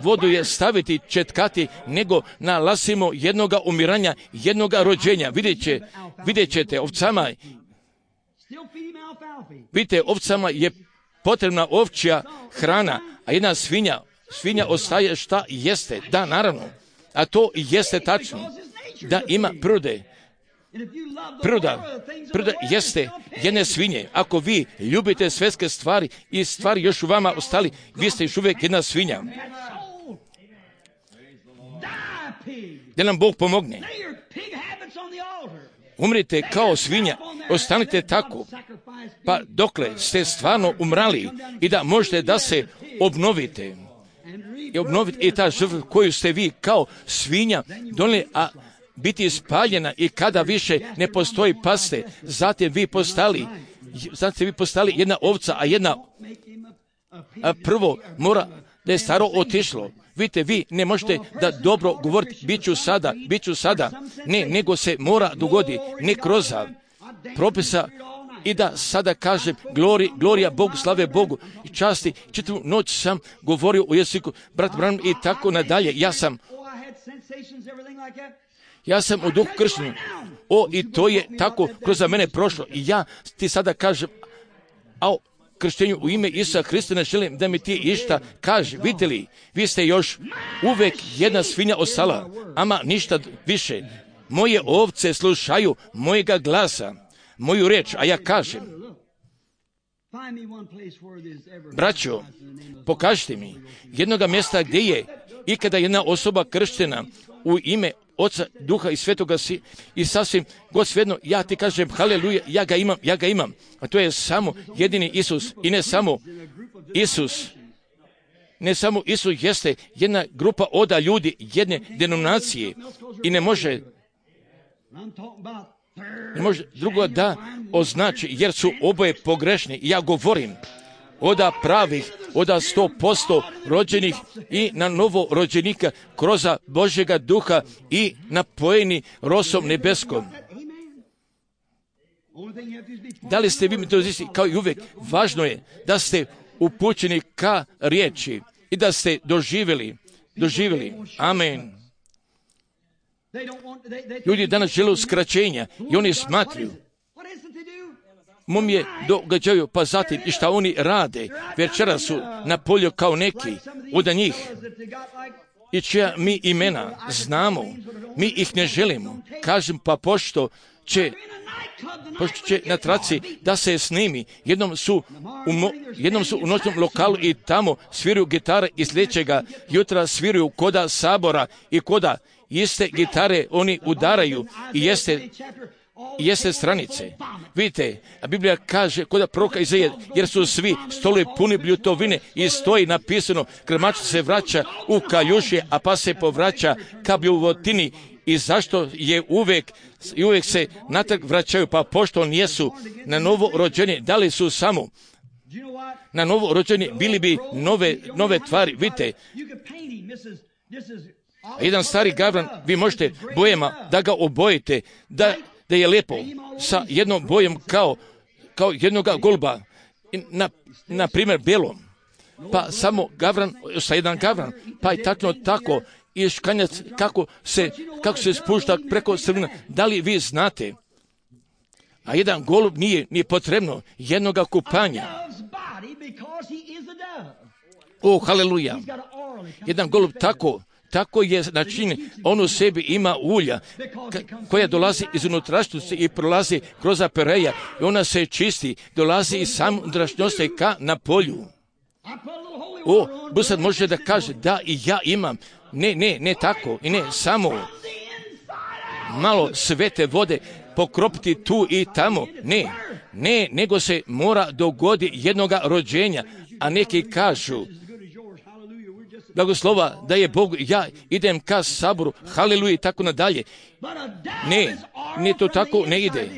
vodu je staviti, četkati, nego nalazimo jednoga umiranja, jednoga rođenja. Vidjet ćete ovcama, vidite, ovcama je potrebna ovčja hrana, a jedna svinja ostaje šta jeste. Da, naravno, a to jeste tačno, da ima prirode. Priroda jeste jedne svinje. Ako vi ljubite svjetske stvari i stvari još u vama ostali, vi ste još uvijek jedna svinja. Da nam Bog pomogne. Umrite kao svinja, ostanite tako, pa dokle ste stvarno umrali i da možete da se obnovite. I ta žrtva koju ste vi kao svinja donijeli, a biti spaljena i kada više ne postoji paste, zatim vi postali jedna ovca, a prvo mora da je staro otišlo. Vidite, vi ne možete da dobro govoriti, bit ću sada, ne, nego se mora dogoditi, ne kroz propisa i da sada kažem glorija Bogu, slave Bogu i časti. Čitavu noć sam govorio o jeziku, brat Branham i tako nadalje. Ja sam u duhu kršten. I to je tako kroz mene prošlo. I ja ti sada kažem, krštenju u ime Isusa Hrista ne želim da mi ti išta kaže. Vidite li, vi ste još uvijek jedna svinja ostala, ama ništa više. Moje ovce slušaju mojega glasa, moju reč, a ja kažem, braćo, pokažite mi jednoga mjesta gdje je ikada jedna osoba krštena u ime Oca, Duha i Svetoga i sasvim god svejedno, ja ti kažem haleluja, ja ga imam. A to je samo jedini Isus i ne samo Isus jeste jedna grupa oda ljudi, jedne denominacije i ne može drugo da označi, jer su oboje pogrešni. Ja govorim oda pravih, oda 100% rođenih i na novo rođenika kroz Božjega duha i napojeni rosom nebeskom. Da li ste vi metodisti kao i uvijek? Važno je da ste upućeni ka riječi i da ste doživjeli. Amen. Ljudi danas žele skraćenja i oni smatruju je događaju, pa zatim i šta oni rade. Večera su na polju kao neki od njih i čija mi imena znamo, mi ih ne želimo. Kažem, pa pošto će na traci da se snimi, jednom su u noćnom lokalu i tamo sviraju gitare i sljedećega jutra sviraju koda sabora i koda iste gitare oni udaraju i jeste jeste stranice. Vidite, a Biblija kaže kod proroka Izaije, jer su svi stolovi puni bljutovine i stoji napisano, krmač se vraća u kaljušje, a pas se povraća ka bljuvotini. I zašto je uvijek se natrag vraćaju, pa pošto on jesu na novo rođeni, da li su samo na novo rođeni, bili bi nove tvari. Vidite, jedan stari gavran, vi možete bojama da ga obojite, da je lijepo sa jednom bojom kao jednoga goluba, na primjer belom, pa samo gavran sa jedan gavran, pa je tako i škanjac kako se spušta preko crvena. Da li vi znate? A jedan golub nije potrebno jednoga kupanja. O, haleluja! Jedan golub tako je načinjen, on u sebi ima ulja koja dolazi iz unutrašnjosti i prolazi kroz apereja i ona se čisti, dolazi iz same unutrašnjosti ka na polju. O, sad može da kaže da i ja imam. Ne tako i ne samo malo svete vode pokropiti tu i tamo. Ne, nego se mora dogodi jednoga rođenja, a neki kažu blagoslova da je Bog, ja idem ka saboru, haleluja i tako nadalje. Ne, to tako ne ide.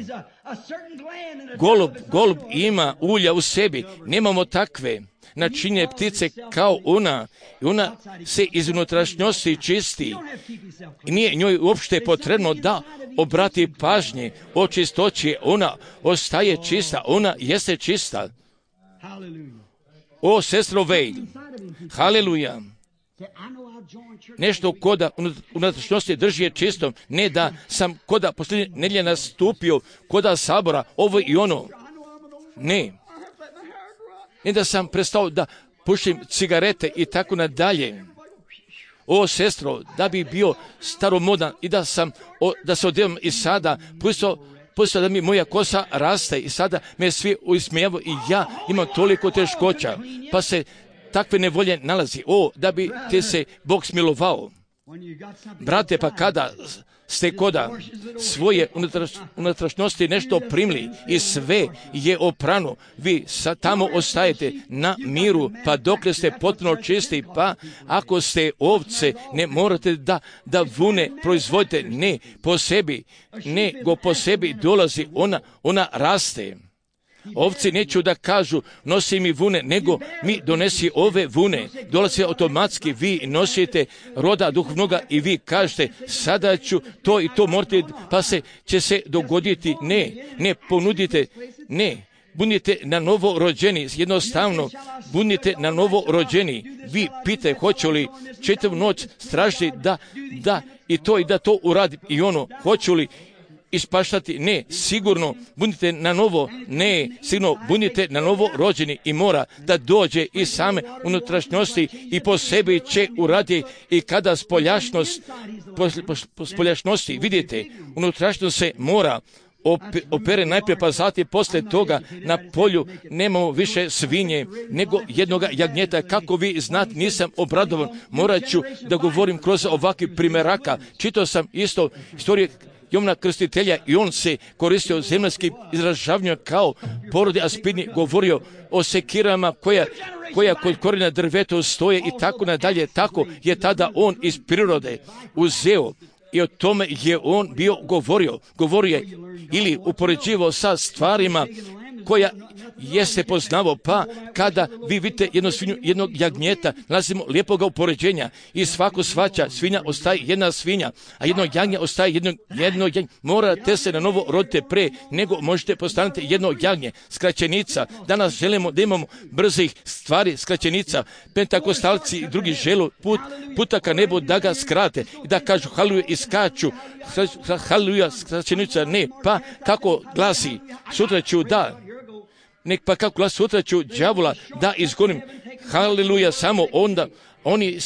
Golub ima ulja u sebi, nemamo takve načinje ptice kao ona, i ona se iz unutrašnjosti čisti. I nije njoj uopšte potrebno da obrati pažnje o čistoći, ona ostaje čista, ona jeste čista. O, sestro Vej, haleluja. Nešto koda unutrašnjosti drži je čistom, ne da sam koda posljednje nedjelje nastupio koda sabora, ovo i ono. Ne da sam prestao da pušim cigarete i tako nadalje. O, sestro, da bi bio staromodan i da se odjevam i sada pustio da mi moja kosa raste i sada me svi ismijavaju i ja imam toliko teškoća, pa se takve nevolje nalazi. O, da bi te se Bog smilovao. Brate, pa kada ste koda svoje unutrašnjosti nešto primili i sve je oprano, vi tamo ostajete na miru, pa dokle ste potpuno čisti, pa ako ste ovce, ne morate da vune proizvodite, ne po sebi, nego po sebi dolazi, ona raste. Ovci neću da kažu nosi mi vune, nego mi donesi ove vune. Dolazi automatski, vi nosite roda duhovnoga i vi kažete sada ću to i to morate, pa će se dogoditi. Ne ponudite, ne. Budite na novo rođeni, jednostavno budite na novo rođeni. Vi pitate hoću li čitavu noć stražiti da i to uradi i ono, hoću li ispaštati? Ne, sigurno budite na novo, sigurno budite na novo rođeni i mora da dođe iz same unutrašnjosti i po sebi će uraditi i kada spoljašnosti, vidite, unutrašnjost se mora opere najprije, pa zatim poslije toga na polju nemamo više svinje nego jednoga jagnjeta. Kako vi znate, nisam obradovan, morat ću da govorim kroz ovakvi primjeraka. Čitao sam isto istorije Jovana Krstitelja i on se koristio zemaljskim izražavanjem kao porodi aspidni, govorio o sekirama koja kod korijena drvetu stoje i tako nadalje. Tako je tada on iz prirode uzeo i o tome je on bio govorio je ili upoređivao sa stvarima koja jeste poznavao, pa kada vi vidite jednu svinju, jednog jagnjeta, nalazimo lijepoga upoređenja i svako svaća svinja ostaje jedna svinja, a jedno jagnje ostaje jedno jagnje. Morate se na novo rodite pre nego možete postaniti jedno jagnje, skraćenica. Danas želimo da imamo brzih stvari, skraćenica. Pentakostalci i drugi želu puta ka nebu da ga skrate i da kažu haleluja i skaču. Haleluja, skraćenica, ne, pa kako glasi, sutra ću pa kako glasi, sutra ću đavola da izgonim. Haleluja, samo onda oni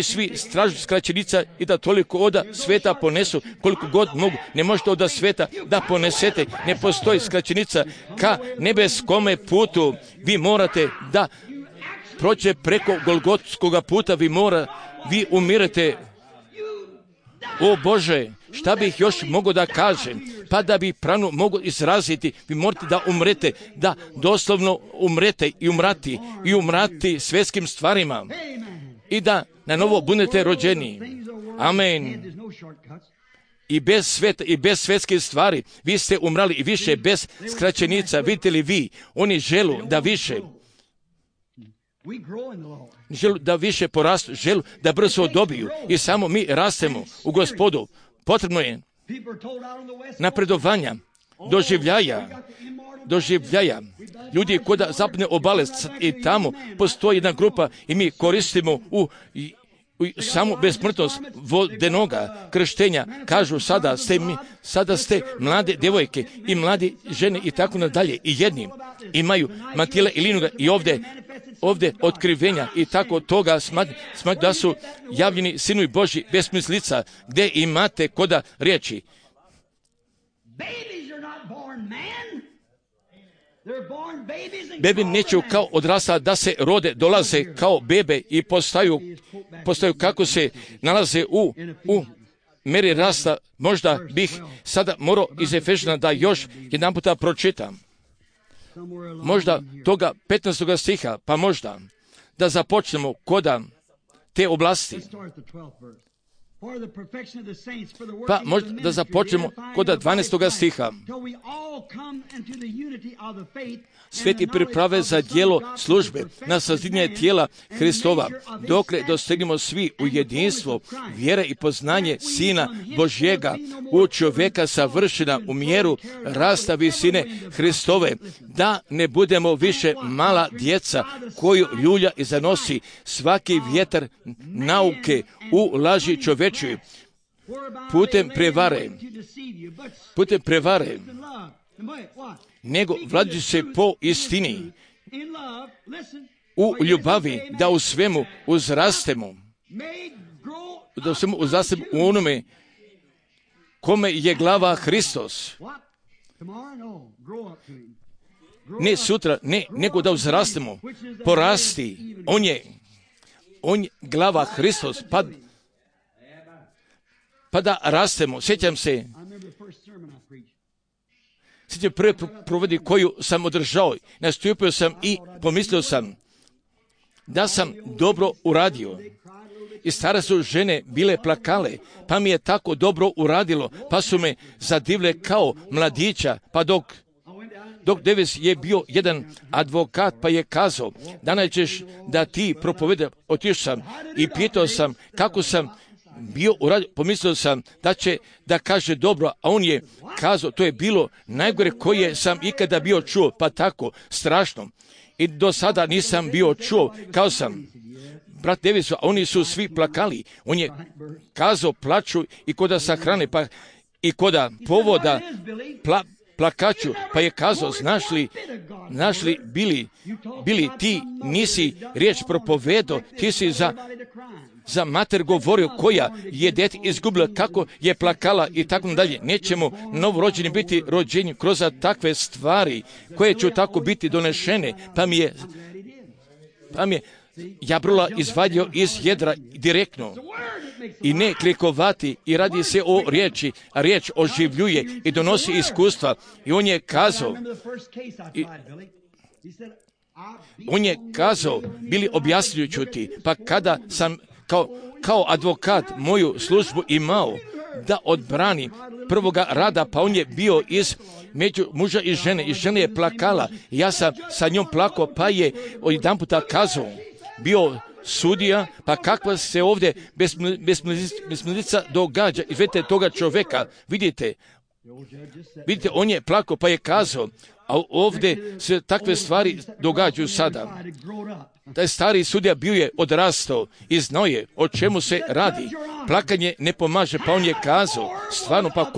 svi stražu skraćenica i da toliko oda sveta ponesu koliko god mogu. Ne možete oda sveta da ponesete, ne postoji skraćenica ka nebeskome putu. Vi morate da prođe preko Golgotskoga puta, vi umirete. O Bože, šta bih još mogao da kažem, pa da bi pranu mogu izraziti, vi morate da umrete, da doslovno umrete i umrati svjetskim stvarima i da na novo budete rođeni. Amen. I bez sveta i bez svjetskih stvari vi ste umrali i više bez skraćenica. Vidite li vi, oni želu da više porastu, želu da brzo dobiju i samo mi rastemo u Gospodu. Potrebno je napredovanja, doživljaja. Ljudi koda zapadne obale i tamo postoji jedna grupa i mi koristimo samo besmrtnost vodenoga krštenja. Kažu sada ste mlade djevojke i mladi žene i tako nadalje. I jedni imaju matile i linuga i ovdje otkrivenja i tako toga smatram da su javljeni sinovi Božji besmislica gdje imate koda riječi. Bebi neće kao odrasla da se rode, dolaze kao bebe i postaju kako se nalaze u meri rasta. Možda bih sada morao iz Efežana da još jedan puta pročitam. Možda toga 15. stiha, pa možda da započnemo koda te oblasti. Pa možda da započnemo kod 12. stiha. Sveti priprave za djelo službe na sazidanje tijela Hristova, dokle dostignemo svi u jedinstvo vjere i poznanje Sina Božjega, u čovjeka savršena u mjeru rasta visine Hristove, da ne budemo više mala djeca koju ljulja i zanosi svaki vjetar nauke u laži čovečoj, putem prevare, nego vladajući se po istini, u ljubavi, da u svemu uzrastemo, u onome kome je glava Hristos. Ne sutra, nego da uzrastemo, porasti, on je glava Hristos, pa da rastemo. Sjećam prve provodi koju sam održao, nastupio sam i pomislio sam da sam dobro uradio. I stare su žene bile plakale, pa mi je tako dobro uradilo, pa su me zadivile kao mladića, pa dok Davis je bio jedan advokat, pa je kazao, danas ćeš da ti propoveda. Otišao sam i pitao sam kako sam bio uradio, pomislio sam da će da kaže dobro, a on je kazao, to je bilo najgore koje sam ikada bio čuo, pa tako strašno. I do sada nisam bio čuo, kao sam brat Davisu, a oni su svi plakali. On je kazao, plaču i koda sahrane, pa i koda povoda plakaću, pa je kazao, znaš li bili ti nisi riječ propovedo, ti si za mater govorio koja je dete izgubila, kako je plakala i tako dalje. Nećemo novorođeni biti rođeni kroz takve stvari koje će tako biti donešene, pa mi je jabrula izvadio iz jedra direktno i ne klikovati, i radi se o riječi, a riječ oživljuje i donosi iskustva. I on je kazao, bili objasnjujući ti, pa kada sam kao advokat moju službu imao da odbrani prvoga rada, pa on je bio među muža i žene je plakala, i ja sam sa njom plakao, pa je jedan puta kazao, bio sudija, pa kakva se ovdje besmislica događa. I vidite toga čovjeka, vidite, on je plakao, pa je kazao, a ovdje se takve stvari događaju sada. Taj stari sudija bio je odrastao i znao je o čemu se radi. Plakanje ne pomaže, pa on je kazao, stvarno, pa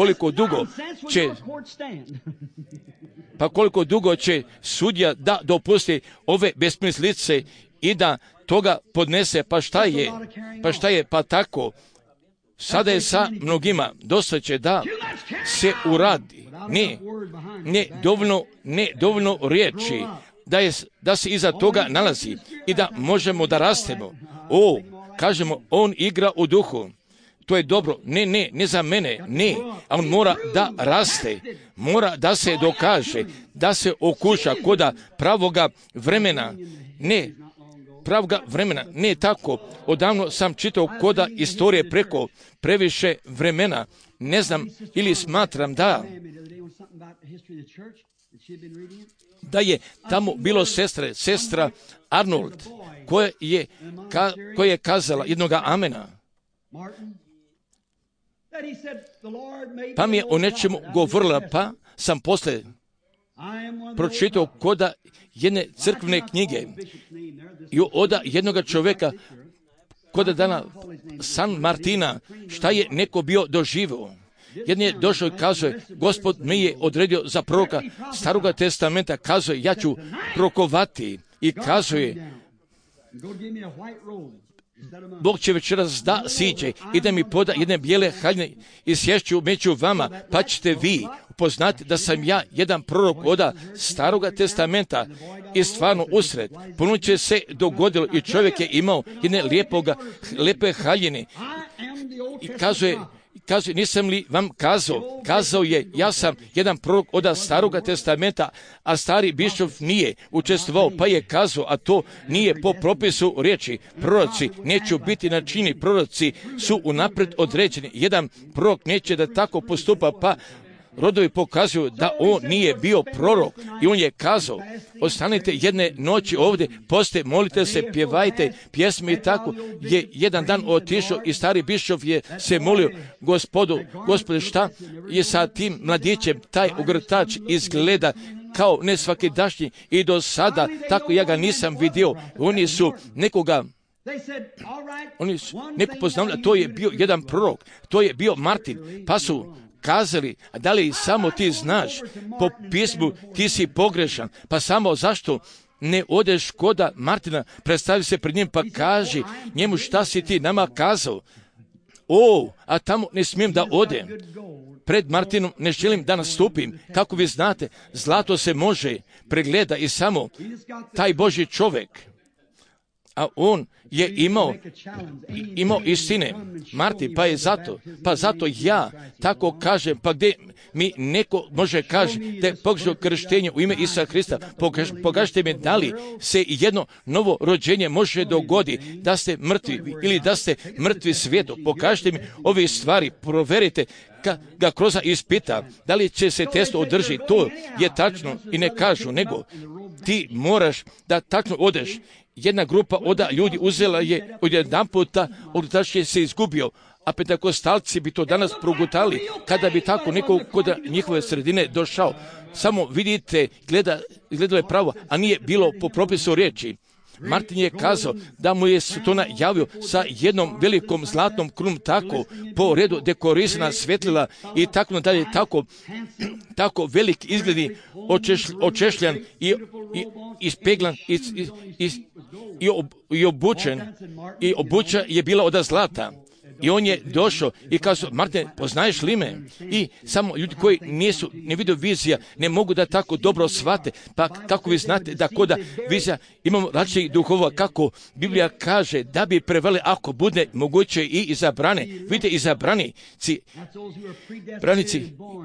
koliko dugo će sudija da dopusti ove besmislice i da toga podnese, pa tako. Sada je sa mnogima, dosta će da se uradi. Ne dovoljno riječi, da se iza toga nalazi i da možemo da rastemo. Kažemo, on igra u duhu. to je dobro. Ne za mene, ne. A on mora da raste, mora da se dokaže, da se okuša koda pravoga vremena. Ne tako. Odavno sam čitao koda istorije preko previše vremena. Ne znam ili smatram da je tamo bilo sestra Arnold, koja je kazala jednoga amena. Pa mi je o nečemu govorila, pa sam posle pročitao koda jedne crkvene knjige i od jednoga čovjeka koda dana San Martina, šta je neko bio doživio. Jedan je došao i kazuje, Gospod me je odredio za proroka Staroga testamenta, kazuje, ja ću prokovati i kazuje, Bog će večeras da siđe i da mi poda jedne bijele haljine i sješću među vama, pa ćete vi upoznati da sam ja jedan prorok od Staroga testamenta i stvarno usred. Ponuće se dogodilo i čovjek je imao jedne lijepe haljine i kazuje, nisam li vam kazao je, ja sam jedan prorok od Staroga testamenta, a stari bišov nije učestvovao, pa je kazao, a to nije po propisu riječi. Proroci neću biti načini, proroci su unaprijed određeni. Jedan prorok neće da tako postupa, pa rodovi pokazuju da on nije bio prorok i on je kazao, ostanite jedne noći ovdje, poste, molite se, pjevajte pjesme i tako. Je jedan dan otišao i stari bišov je se molio, Gospode, šta je sa tim mladićem, taj ogrtač izgleda kao nesvakidašnji i do sada, tako ja ga nisam vidio. Oni su neko poznali, to je bio jedan prorok, to je bio Martin, pa su kazali, a da li samo ti znaš po pismu ti si pogrešan, pa samo zašto ne odeš koda Martina, predstavi se pred njim pa kaži njemu šta si ti nama kazao. A tamo ne smijem da odem. Pred Martinom ne želim da nastupim. Kako vi znate, zlato se može pregleda i samo taj Božji čovjek. A on je imao istine. Martin, pa zato ja tako kažem, pa gdje mi neko može kaži da je pogrešno krštenje u ime Isusa Hrista, pokažite mi da li se jedno novo rođenje može dogoditi, da ste mrtvi ili da ste mrtvi svijetu. Pokažite mi ove stvari, proverite ga kroz ispita, da li će se test održiti. To je tačno i ne kažu, nego ti moraš da tačno odeš. Jedna grupa ljudi uzela je od jedan puta, ogrtač je se izgubio, a pentakostalci bi to danas progutali kada bi tako neko kod njihove sredine došao. Samo vidite, gledalo je pravo, a nije bilo po propisu riječi. Martin je kazao da mu je Sotona javio sa jednom velikom zlatnom krunom, tako po redu dekorisana svjetlila i tako dalje, tako velik izgledi, očešljan i ispeglan i obučen, i obuća je bila od zlata. I on je došao i kazao, Martin, poznaješ li me? I samo ljudi koji ne vide vizija, ne mogu da tako dobro shvate. Pa kako vi znate da koda vizija imamo različitih duhova, kako Biblija kaže da bi preveli ako bude moguće i izabrane. Vidite, izabranici,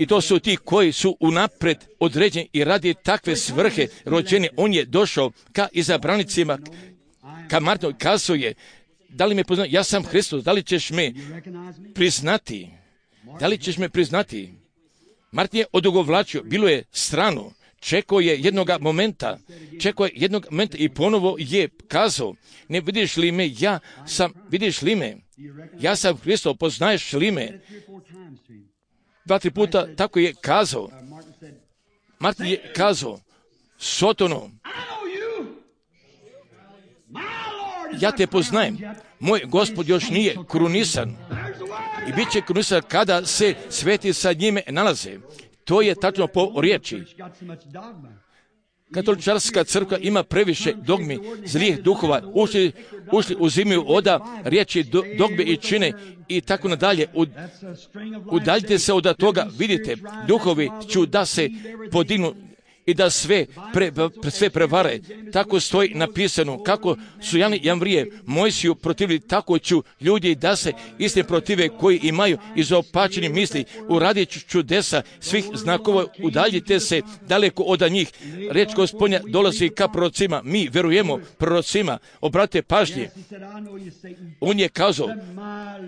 i to su ti koji su unapred određeni i radi takve svrhe rođeni. On je došao ka izabranicima, ka Martinu, kazuje, da li me poznaš? Ja sam Hristos, da li ćeš me priznati? Martin je odugovlačio, bilo je strano, čekao je jednog momenta i ponovo je kazao, ne vidiš li me, ja sam Hristos, poznaješ li me? 2-3 puta tako je kazao. Martin je kazao, Sotono, ja te poznajem, moj Gospod još nije krunisan i bit će krunisan kada se sveti sa njime nalaze. To je tačno po riječi. Katoličarska crkva ima previše dogmi, zlijih duhova, ušli uzimaju oda riječi dogme i čine i tako nadalje. Udaljite se od toga, vidite, duhovi ću da se podignu i da sve prevare. Tako stoji napisano, kako su Jan i Jamvrije Mojsiju protivili, tako ću ljudi da se istine protive koji imaju izopačeni misli, uradit čudesa svih znakova, udaljite se daleko od njih. Reč Gospodnja dolazi ka prorocima, mi verujemo prorocima, obratite pažnje. On je kazao,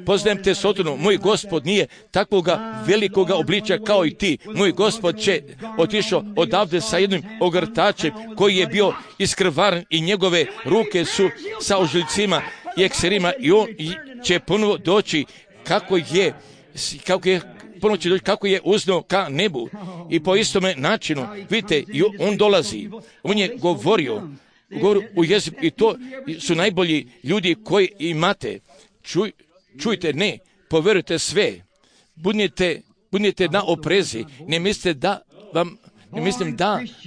poznajem te Sotonu, moj Gospod nije takvoga velikoga obličja kao i ti. Moj Gospod će otišao odavde sa jednim ogrtačem koji je bio iskrvaren i njegove ruke su sa ožiljcima i ekserima i on će ponovo doći kako je uzno ka nebu. I po istome načinu, vidite, on dolazi. On je govorio u jeziku i to su najbolji ljudi koji imate. Čujte, ne, poverujte sve. Budite na oprezi. Ne mislite da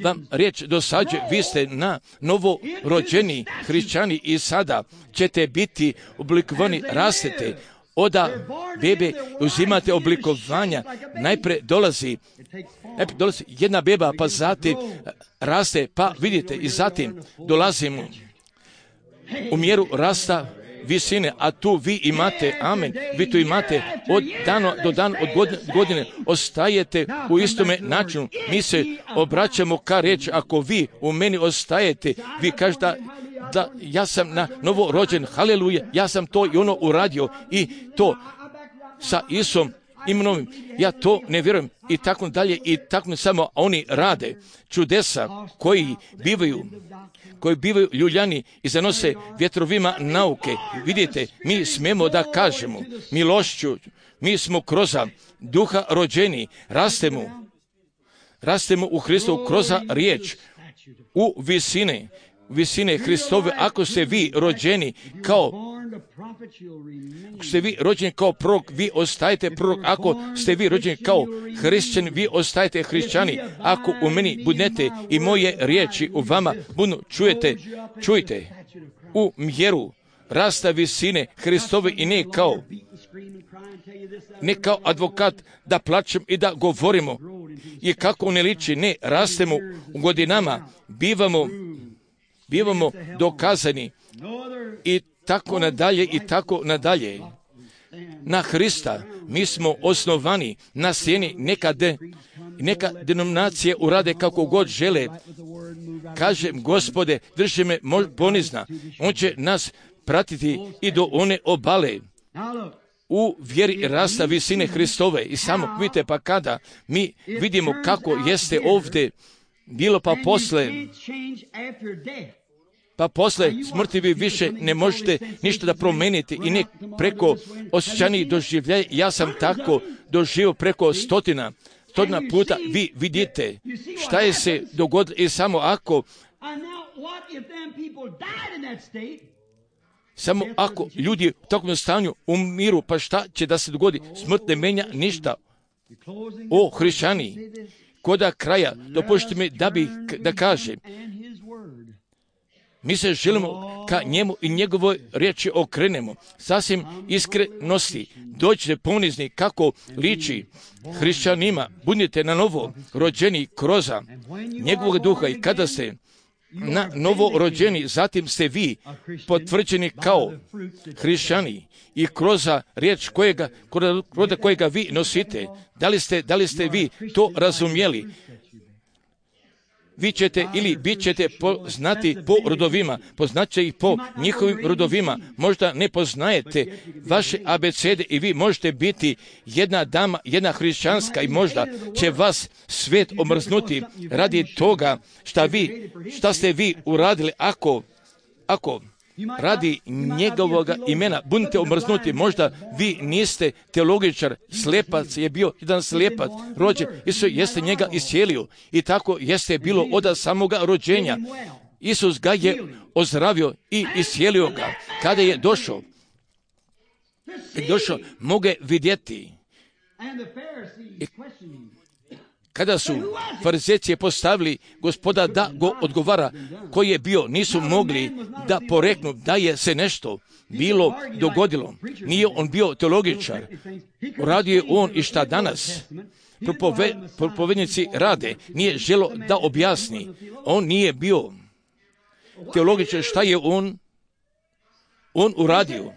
vam riječ dosađe. Vi ste na novo rođeni hrišćani i sada ćete biti oblikovani, rastete. Oda bebe uzimate oblikovanja. Najprije dolazi jedna beba, pa zatim raste, pa vidite, i zatim dolazimo u mjeru rasta visine, a tu vi imate, amen, vi tu imate od dana do dana, od godine, ostajete u istome načinu. Mi se obraćamo ka reći, ako vi u meni ostajete, vi kažete da ja sam na novo rođen, haleluja, ja sam to i ono uradio i to sa Isom imenom, ja to ne vjerujem i tako dalje i tako samo oni rade čudesa koji bivaju ljuljani i zanose vjetrovima nauke. Vidite, mi smemo da kažemo milošću, mi smo kroz duha rođeni, rastemo u Hristu kroz riječ, u visine Hristove. Ako ste vi rođeni kao prorok, vi ostajete prorok. Ako ste vi rođeni kao hrišćani, vi ostajete hrišćani. Ako u meni budete i moje riječi u vama budu, čujte u mjeru rasta visine Hristove i ne kao advokat da plačem i da govorimo i kako ne liči, ne, rastemo u godinama, bivamo dokazani i tako nadalje. Na Hrista mi smo osnovani na sjeni. Neka denominacije urade kako god žele. Kažem, Gospode, drži me ponizna. On će nas pratiti i do one obale u vjeri rasta visine Hristove. I samo vidite, pa kada mi vidimo kako jeste ovdje bilo, pa posle smrti vi više ne možete ništa da promenite i ne preko osjećanih doživljaja. Ja sam tako doživio preko stotina puta. Vi vidite šta je se dogodilo i samo ako ljudi u takvom stanju umiru, pa šta će da se dogodi? Smrt ne menja ništa. O hrišćani, koda kraja, dopustite mi da kažem, mi se želimo ka njemu i njegovoj riječi okrenemo. Sasvim iskrenosti, dođite ponizni kako liči hrišćanima. Budite na novo rođeni kroz njegovog duha i kada ste na novo rođeni, zatim ste vi potvrđeni kao hrišćani i kroz riječ kojega vi nosite. Da li ste vi to razumjeli? Vi ćete ili bit ćete poznati po rodovima, poznaće ih po njihovim rodovima. Možda ne poznajete vaše abecede i vi možete biti jedna dama, jedna hrišćanska i možda će vas svijet omrznuti radi toga šta ste vi uradili. Ako radi njegovog imena budete omrznuti, možda vi niste teologičar, slepac je bio jedan slepac rođen, Isus jeste njega iscijelio i tako jeste bilo od samoga rođenja. Isus ga je ozdravio i iscijelio ga. Kada je došao, moge vidjeti. Kada su farizejci postavili Gospoda da go odgovara koji je bio, nisu mogli da poreknu da je se nešto bilo dogodilo. Nije on bio teologičar. Uradio je on i šta danas. propovednici rade, nije želo da objasni. On nije bio teologičar. Šta je on uradio?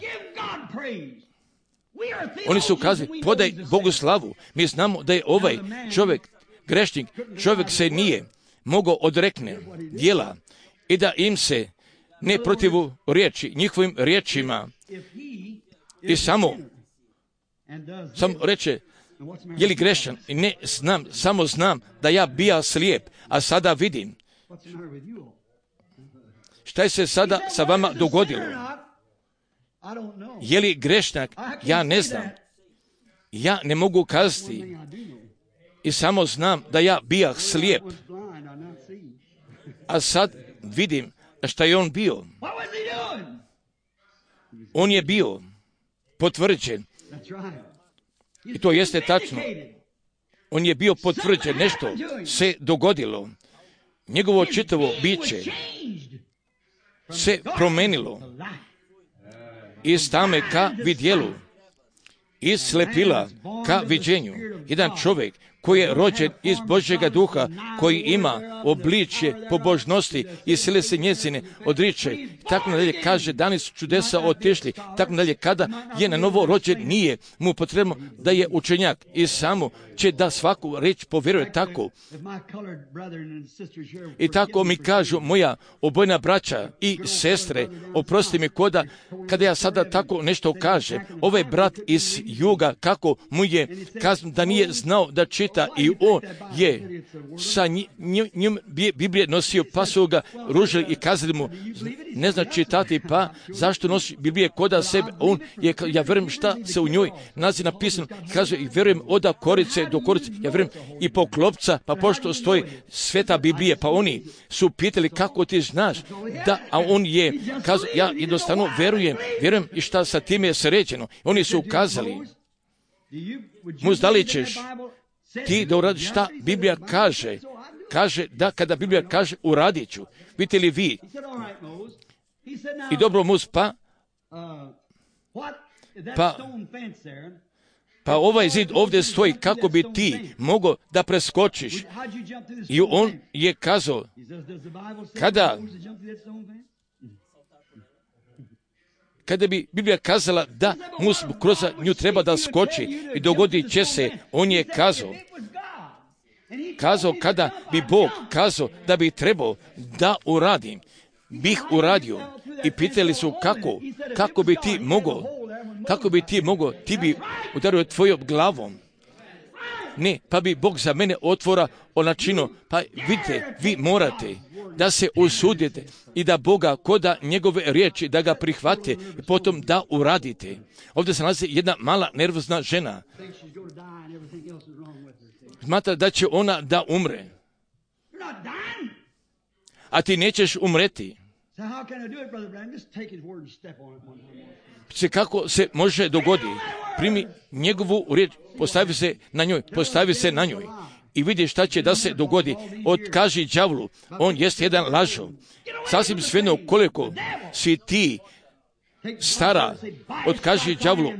Oni su kazali, podaj Bogu slavu. Mi znamo da je ovaj čovjek grešnik. Čovjek se nije mogao odrekne djela i da im se ne protivu riječi, njihovim riječima. I samo reče, je li grešan? I ne znam, samo znam da ja bija slijep, a sada vidim. Šta je se sada sa vama dogodilo? Je li grešnak? Ja ne znam. Ja ne mogu kazati. I samo znam da ja bija slijep. A sad vidim šta je on bio. On je bio potvrđen. I to jeste tačno. On je bio potvrđen. Nešto se dogodilo. Njegovo čitavo biće se promenilo. Iz tame ka vidjelu. Iz slepila ka viđenju. Jedan čovjek koji je rođen iz Božjega duha, koji ima obličje pobožnosti i sile se njezine odriče. Tako nadalje kaže, dani su čudesa otišli. Tako nadalje, kada je na novo rođen, nije mu potrebno da je učenjak i samo će da svaku reč povjeruje tako. I tako mi kažu moja obojna braća i sestre, oprosti mi kada ja sada tako nešto kažem, ovaj brat iz juga, kako mu je kazano da nije znao da čita i on je sa njim Biblije nosio, pa su ga ružili i kazali mu, ne zna čitati, pa zašto nosi Biblije koda sebe? On je, ja vjerujem šta se u njoj nalazi napisano, kaže i vjerujem od korice do korice, ja vjerujem i po klopca, pa pošto stoji sveta Biblije, pa oni su pitali kako ti znaš, da, a on je kazao, ja jednostavno vjerujem i šta sa time je sređeno. Oni su ukazali, da li ćeš ti da uradiš šta Biblija kaže? Kaže da kada Biblija kaže uradit ću. Vidite li vi? I dobro Muz, pa ovaj zid ovdje stoji kako bi ti mogao da preskočiš. I on je kazao, kada bi Biblija kazala da Mus kroz nju treba da skoči i dogodit će se, on je kazao kada bi Bog kazao da bi trebao da uradim, bih uradio. I pitali su kako bi ti mogao, ti bi udario tvojom glavom. Ne, pa bi Bog za mene otvora načino, pa vidite, vi morate da se usudite i da Boga koda njegove riječi, da ga prihvate i potom da uradite. Ovdje se nalazi jedna mala nervozna žena. Smatra da će ona da umre. A ti nećeš umreti. Kako se može dogoditi? Primi njegovu riječ, postavi se na njoj i vidi šta će da se dogodi. Otkaži đavlu, on jest jedan lažov. Sasvim svejedno koliko si ti stara, otkaži đavlu,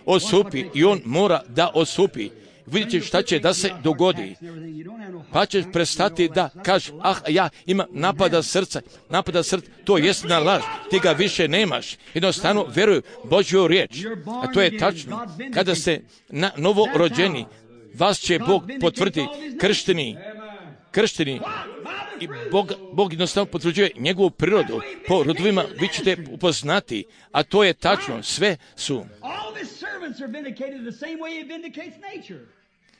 odstupi i on mora da odstupi. Vidite šta će da se dogodi. Pa ćeš prestati da kažeš, ja imam napada srca, to jest na laž, ti ga više nemaš. Jednostavno veruju Božju riječ. A to je tačno. Kada ste na novo rođeni, vas će Bog potvrditi kršteni i Bog jednostavno potvrđuje njegovu prirodu. Po rodovima vi ćete upoznati, a to je tačno.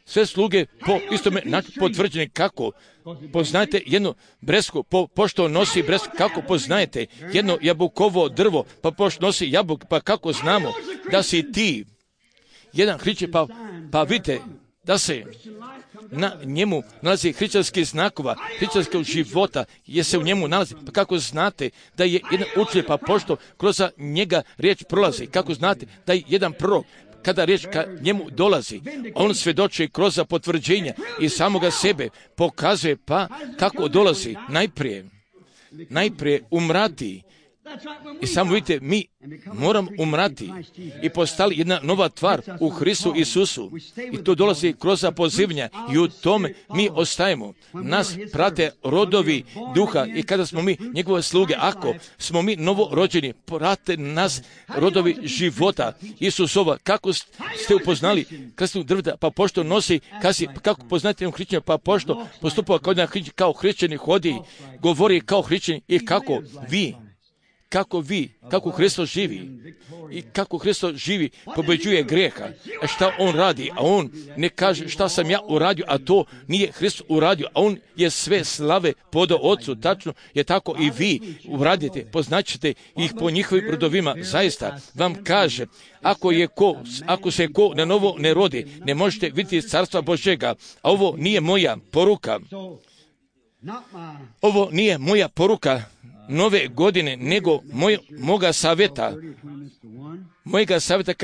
Sve sluge po istome načinu potvrđene. Kako poznajete jednu bresku, pošto nosi bresku, kako poznajete jedno jabukovo drvo, pa pošto nosi jabuk, pa kako znamo da si ti jedan hrišćanin, pa vidite da se na njemu nalazi hrišćanskih znakova, hrišćanskog života, je se u njemu nalazi. Pa kako znate da je jedan učitelj, pa pošto kroz njega riječ prolazi, kako znate da je jedan prorok, kada riječ ka njemu dolazi, on svjedoči kroz potvrđenja i samoga sebe pokazuje, pa kako dolazi najprije umrati I samo vidite, mi moramo umrati i postali jedna nova tvar u Hristu Isusu. I to dolazi kroz pozivanja i u tome mi ostajemo. Nas prate rodovi duha i kada smo mi njegove sluge, ako smo mi novorođeni, prate nas rodovi života Isusova. Kako ste upoznali krstnog drveta, pa pošto nosi, kako poznate jednog hrišćanina, pa pošto postupa kao hrišćanin, hodi, govori kao hrišćanin i kako Hristos živi i kako Hristos živi, pobeđuje grijeha. A šta on radi? A on ne kaže šta sam ja uradio, a to nije Hristos uradio, a on je sve slave podao Otcu. Tačno je tako i vi uradite, poznaćete ih po njihovim rodovima. Zaista vam kaže, ako se ko na novo ne rodi, ne možete vidjeti carstva Božjega. A ovo nije moja poruka. Ovo nije moja poruka nove godine, nego mojega savjeta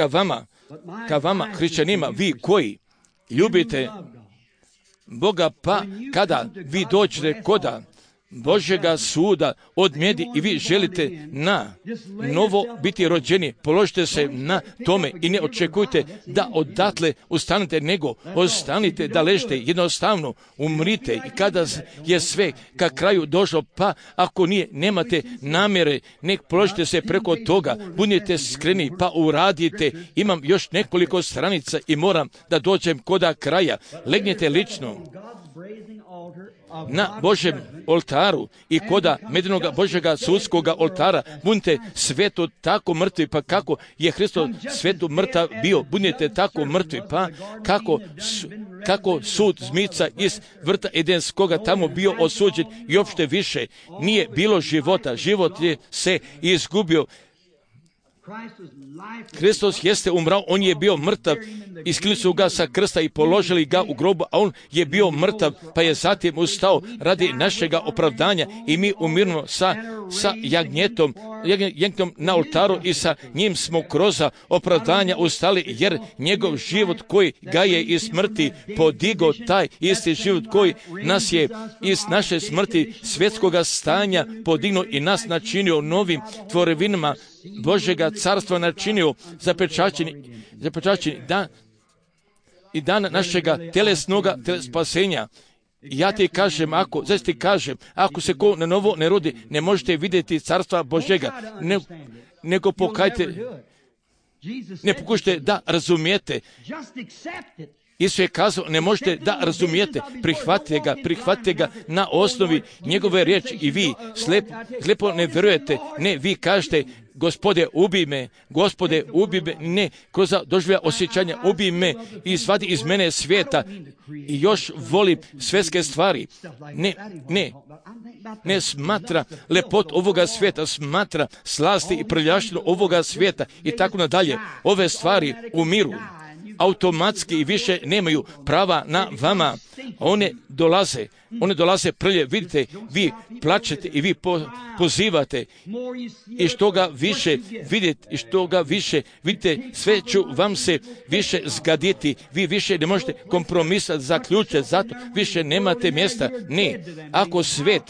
ka vama hrišćanima, vi koji ljubite Boga, pa kada vi dođete koda Božjega suda od mjedi i vi želite na novo biti rođeni, položite se na tome i ne očekujte da odatle ustanete, nego ostanite da ležite, jednostavno umrite i kada je sve ka kraju došlo, pa ako nemate namjere, nek položite se preko toga, budite skreni pa uradite. Imam još nekoliko stranica i moram da dođem koda kraja. Legnite lično na Božjem oltaru i koda medinog Božjega sudskoga oltara, budite sveto tako mrtvi, pa kako je Hristos svetu mrtav bio, budite tako mrtvi, pa kako sud zmica iz vrta Edenskoga tamo bio osuđen i uopšte više nije bilo života, život je se izgubio. Hristos jeste umrao, on je bio mrtav, isklili su ga sa krsta i položili ga u grobu, a on je bio mrtav, pa je zatim ustao radi našega opravdanja i mi umirno sa jagnjetom na oltaru i sa njim smo kroz opravdanja ustali, jer njegov život koji ga je iz smrti podigo, taj isti život koji nas je iz naše smrti svjetskoga stanja podignuo i nas načinio novim tvorevinama Božjega carstva, načinio zapečaćeni dan i dan našega telesnoga spasenja. Ja ti kažem, ako se ko na novo ne rodi, ne možete vidjeti carstva Božjega, nego ne pokušajte da razumijete. Isus je kazao, ne možete da razumijete, prihvatite ga na osnovi njegove riječi i vi slijepo ne vjerujete, ne, vi kažete, Gospode, ubij me, ne, kroz doživlja osjećanja, ubij me i svadi iz mene svijeta i još volim svjetske stvari. Ne smatra lepot ovoga svijeta, smatra slasti i prljavštinu ovoga svijeta i tako nadalje. Ove stvari umiru automatski i više nemaju prava na vama. One dolaze prlje. Vidite, vi plačete i vi pozivate i što ga više vidite i što ga više vidite, sve ću vam se više zgaditi. Vi više ne možete kompromisati, zaključiti, zato više nemate mjesta. Ne, ako svijet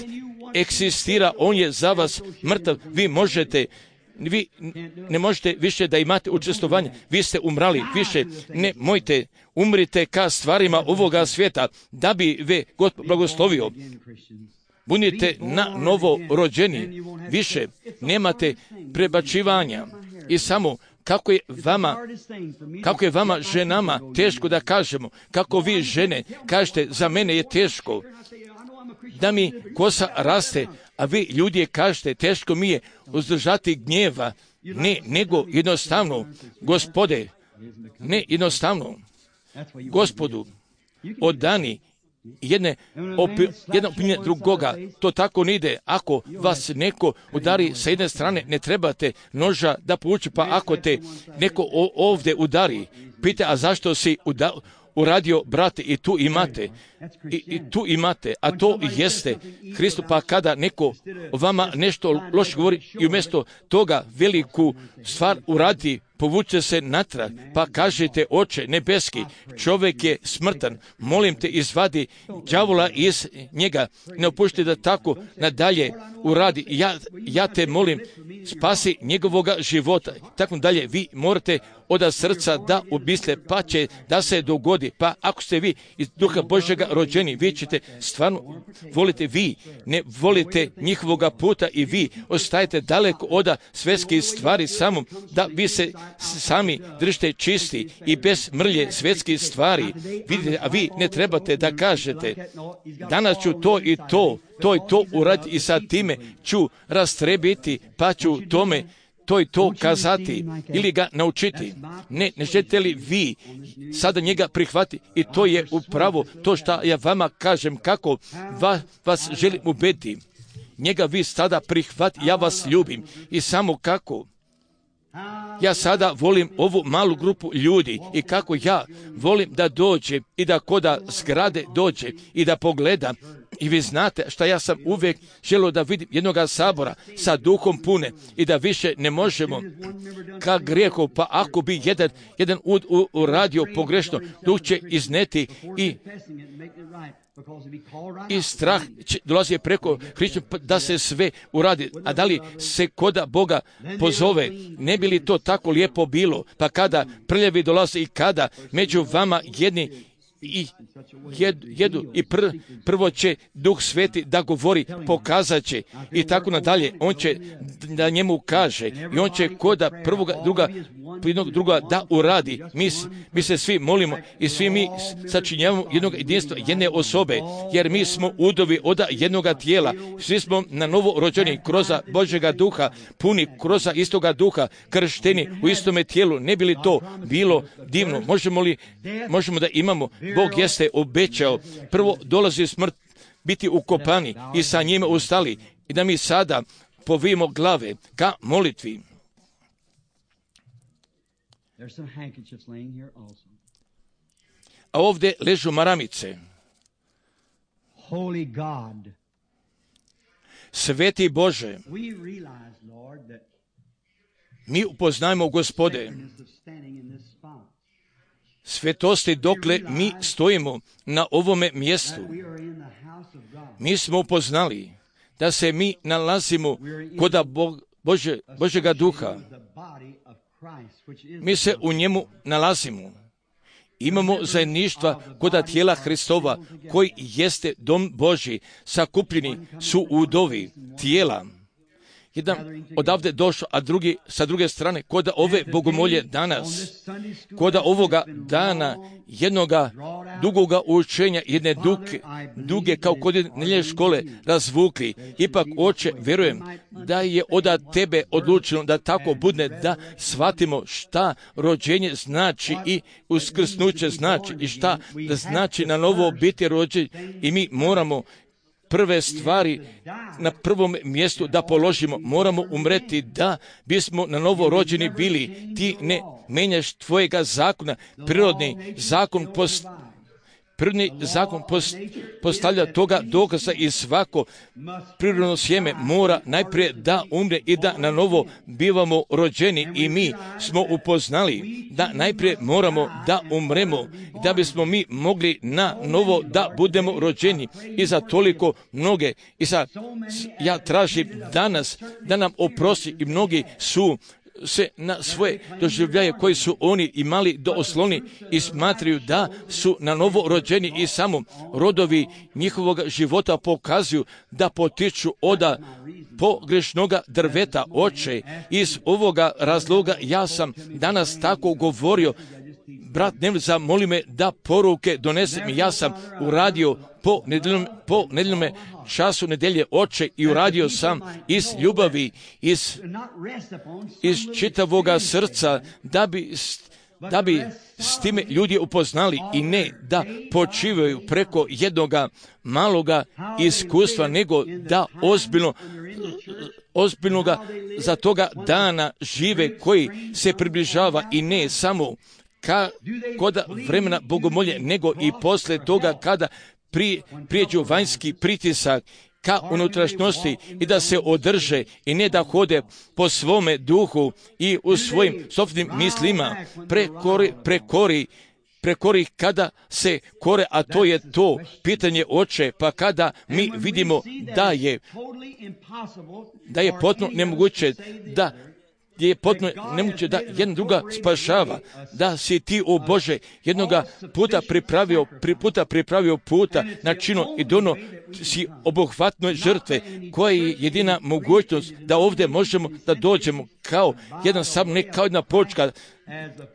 eksistira, on je za vas mrtav. Vi ne možete više da imate učestvovanje. Vi ste umrali, više nemojte, umrite ka stvarima ovoga svijeta, da bi ve God blagoslovio. Budite na novo rođeni, više nemate prebačivanja. I samo kako je vama ženama teško da kažemo, kako vi žene kažete, za mene je teško da mi kosa raste, a vi ljudi kažete, teško mi je uzdržati gnjeva. Ne, nego jednostavno, Gospode, ne jednostavno, Gospodu, odani jedna opinja drugoga. To tako ne ide. Ako vas neko udari sa jedne strane, ne trebate noža da povuče, pa ako te neko ovdje udari, pita, a zašto si uradio, brate, i tu imate, a to jeste Hristos. Pa kada neko vama nešto loše govori i umjesto toga veliku stvar uradi, povuče se natrag, pa kažete: Oče nebeski, čovjek je smrtan, molim te, izvadi đavola iz njega, ne opušti da tako nadalje uradi, ja te molim, spasi njegovoga života, tako dalje. Vi morate od srca da ubisle, pa će da se dogodi. Pa ako ste vi iz Duha Božjega rođeni, vi ćete stvarno volite, vi ne volite njihovoga puta i vi ostajete daleko od svjetskih stvari, samo da vi se sami držite čisti i bez mrlje svjetskih stvari. Vidite, a vi ne trebate da kažete: danas ću to i to uraditi i sa time ću rastrebiti, pa ću tome to i to kazati ili ga naučiti. Ne želite li vi sada njega prihvati? I to je upravo to što ja vama kažem, kako vas želim ubediti. Njega vi sada prihvati, ja vas ljubim. I samo kako ja sada volim ovu malu grupu ljudi i kako ja volim da dođe i da koda zgrade dođe i da pogleda. I vi znate šta ja sam uvijek želio da vidim jednoga sabora sa duhom pune i da više ne možemo ka grijehu, pa ako bi jedan uradio pogrešno, duh će izneti i strah dolazi preko Hrišća da se sve uradi. A da li se koda Boga pozove, ne bi li to tako lijepo bilo? Pa kada prljavi dolaze i kada među vama jedni i jedu i prvo će Duh Sveti da govori, pokazat će i tako nadalje. On će da njemu kaže i on će koda druga da uradi. Mi se svi molimo i svi mi sačinjavamo jednog jedinstva, jedne osobe, jer mi smo udovi od jednoga tijela. Svi smo na novo rođeni kroz Božjega Duha, puni kroz istoga Duha, kršteni u istome tijelu. Ne bi li to bilo divno? Možemo da imamo. Bog jeste obećao, prvo dolazi smrt, biti ukopani i sa njime ustali, i da mi sada povijemo glave ka molitvi. A ovdje ležu maramice. Sveti Bože, mi upoznajemo, Gospode, svetosti dokle mi stojimo na ovome mjestu. Mi smo upoznali da se mi nalazimo kod Božjega Duha. Mi se u njemu nalazimo. Imamo zajedništva kod tijela Hristova, koji jeste dom Božji. Sakupljeni su udovi tijela. Jedan odavde došao, a drugi sa druge strane, kod ove bogomolje danas, kod ovoga dana jednoga dugoga učenja, jedne duge kao kod nedjeljne škole razvukli. Ipak, Oče, vjerujem da je od Tebe odlučeno da tako bude, da shvatimo šta rođenje znači i uskrsnuće znači i šta da znači na novo biti rođen, i mi moramo prve stvari na prvom mjestu da položimo. Moramo umreti da bismo na novo rođeni bili. Ti ne menjaš tvojega zakona. Prirodni zakon postavlja toga dokaza, i svako prirodno sjeme mora najprije da umre i da na novo bivamo rođeni. I mi smo upoznali da najprije moramo da umremo da bismo mi mogli na novo da budemo rođeni. I za toliko mnoge, ja tražim danas da nam oprosti, i mnogi su se na svoje doživljaje koji su oni imali do osloni i smatraju da su na novo rođeni, i samo rodovi njihovog života pokazuju da potiču od pogrešnoga drveta. Oče, iz ovoga razloga ja sam danas tako govorio. Brat Neville, zamoli me da poruke donesem. Ja sam uradio po nedeljnom času nedelje, Oče, i uradio sam iz ljubavi, iz čitavoga srca, da bi s time ljudi upoznali, i ne da počivaju preko jednoga maloga iskustva, nego da ozbiljnoga za toga dana žive koji se približava, i ne samo kod vremena bogomolje, nego i posle toga kada prijeđu vanjski pritisak, ka unutrašnjosti i da se održe i ne da hode po svome duhu i u svojim sopstvenim mislima prekori kada se kore, a to je to pitanje Oče, pa kada mi vidimo da je potpuno nemoguće da jedna druga spašava, da si ti, o Bože, jednoga puta pripravio puta na čino i dono si obuhvatnoj žrtve, koja je jedina mogućnost da ovdje možemo da dođemo kao jedan sam, ne kao jedna počka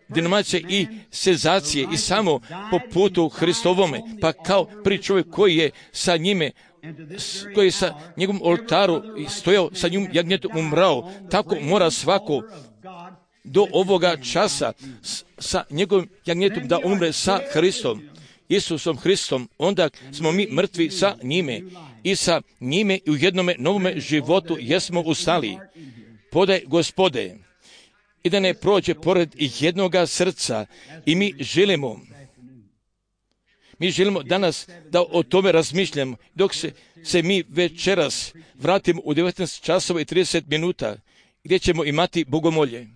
denominacije i senzacije i samo po putu Hristovome, pa kao pri čovjek koji je sa njime, koji je sa njegovom oltaru stojao sa njim jagnjetom umrao, tako mora svako do ovoga časa sa njegovim jagnjetom da umre sa Hristom, Isusom Hristom. Onda smo mi mrtvi sa njime i sa njime i u jednome novome životu jesmo ustali. Podaj Gospode, i da ne prođe pored jednoga srca i mi želimo danas da o tome razmišljamo, dok se mi večeras vratimo u 19 časova i 30 minuta, gdje ćemo imati bogomolje.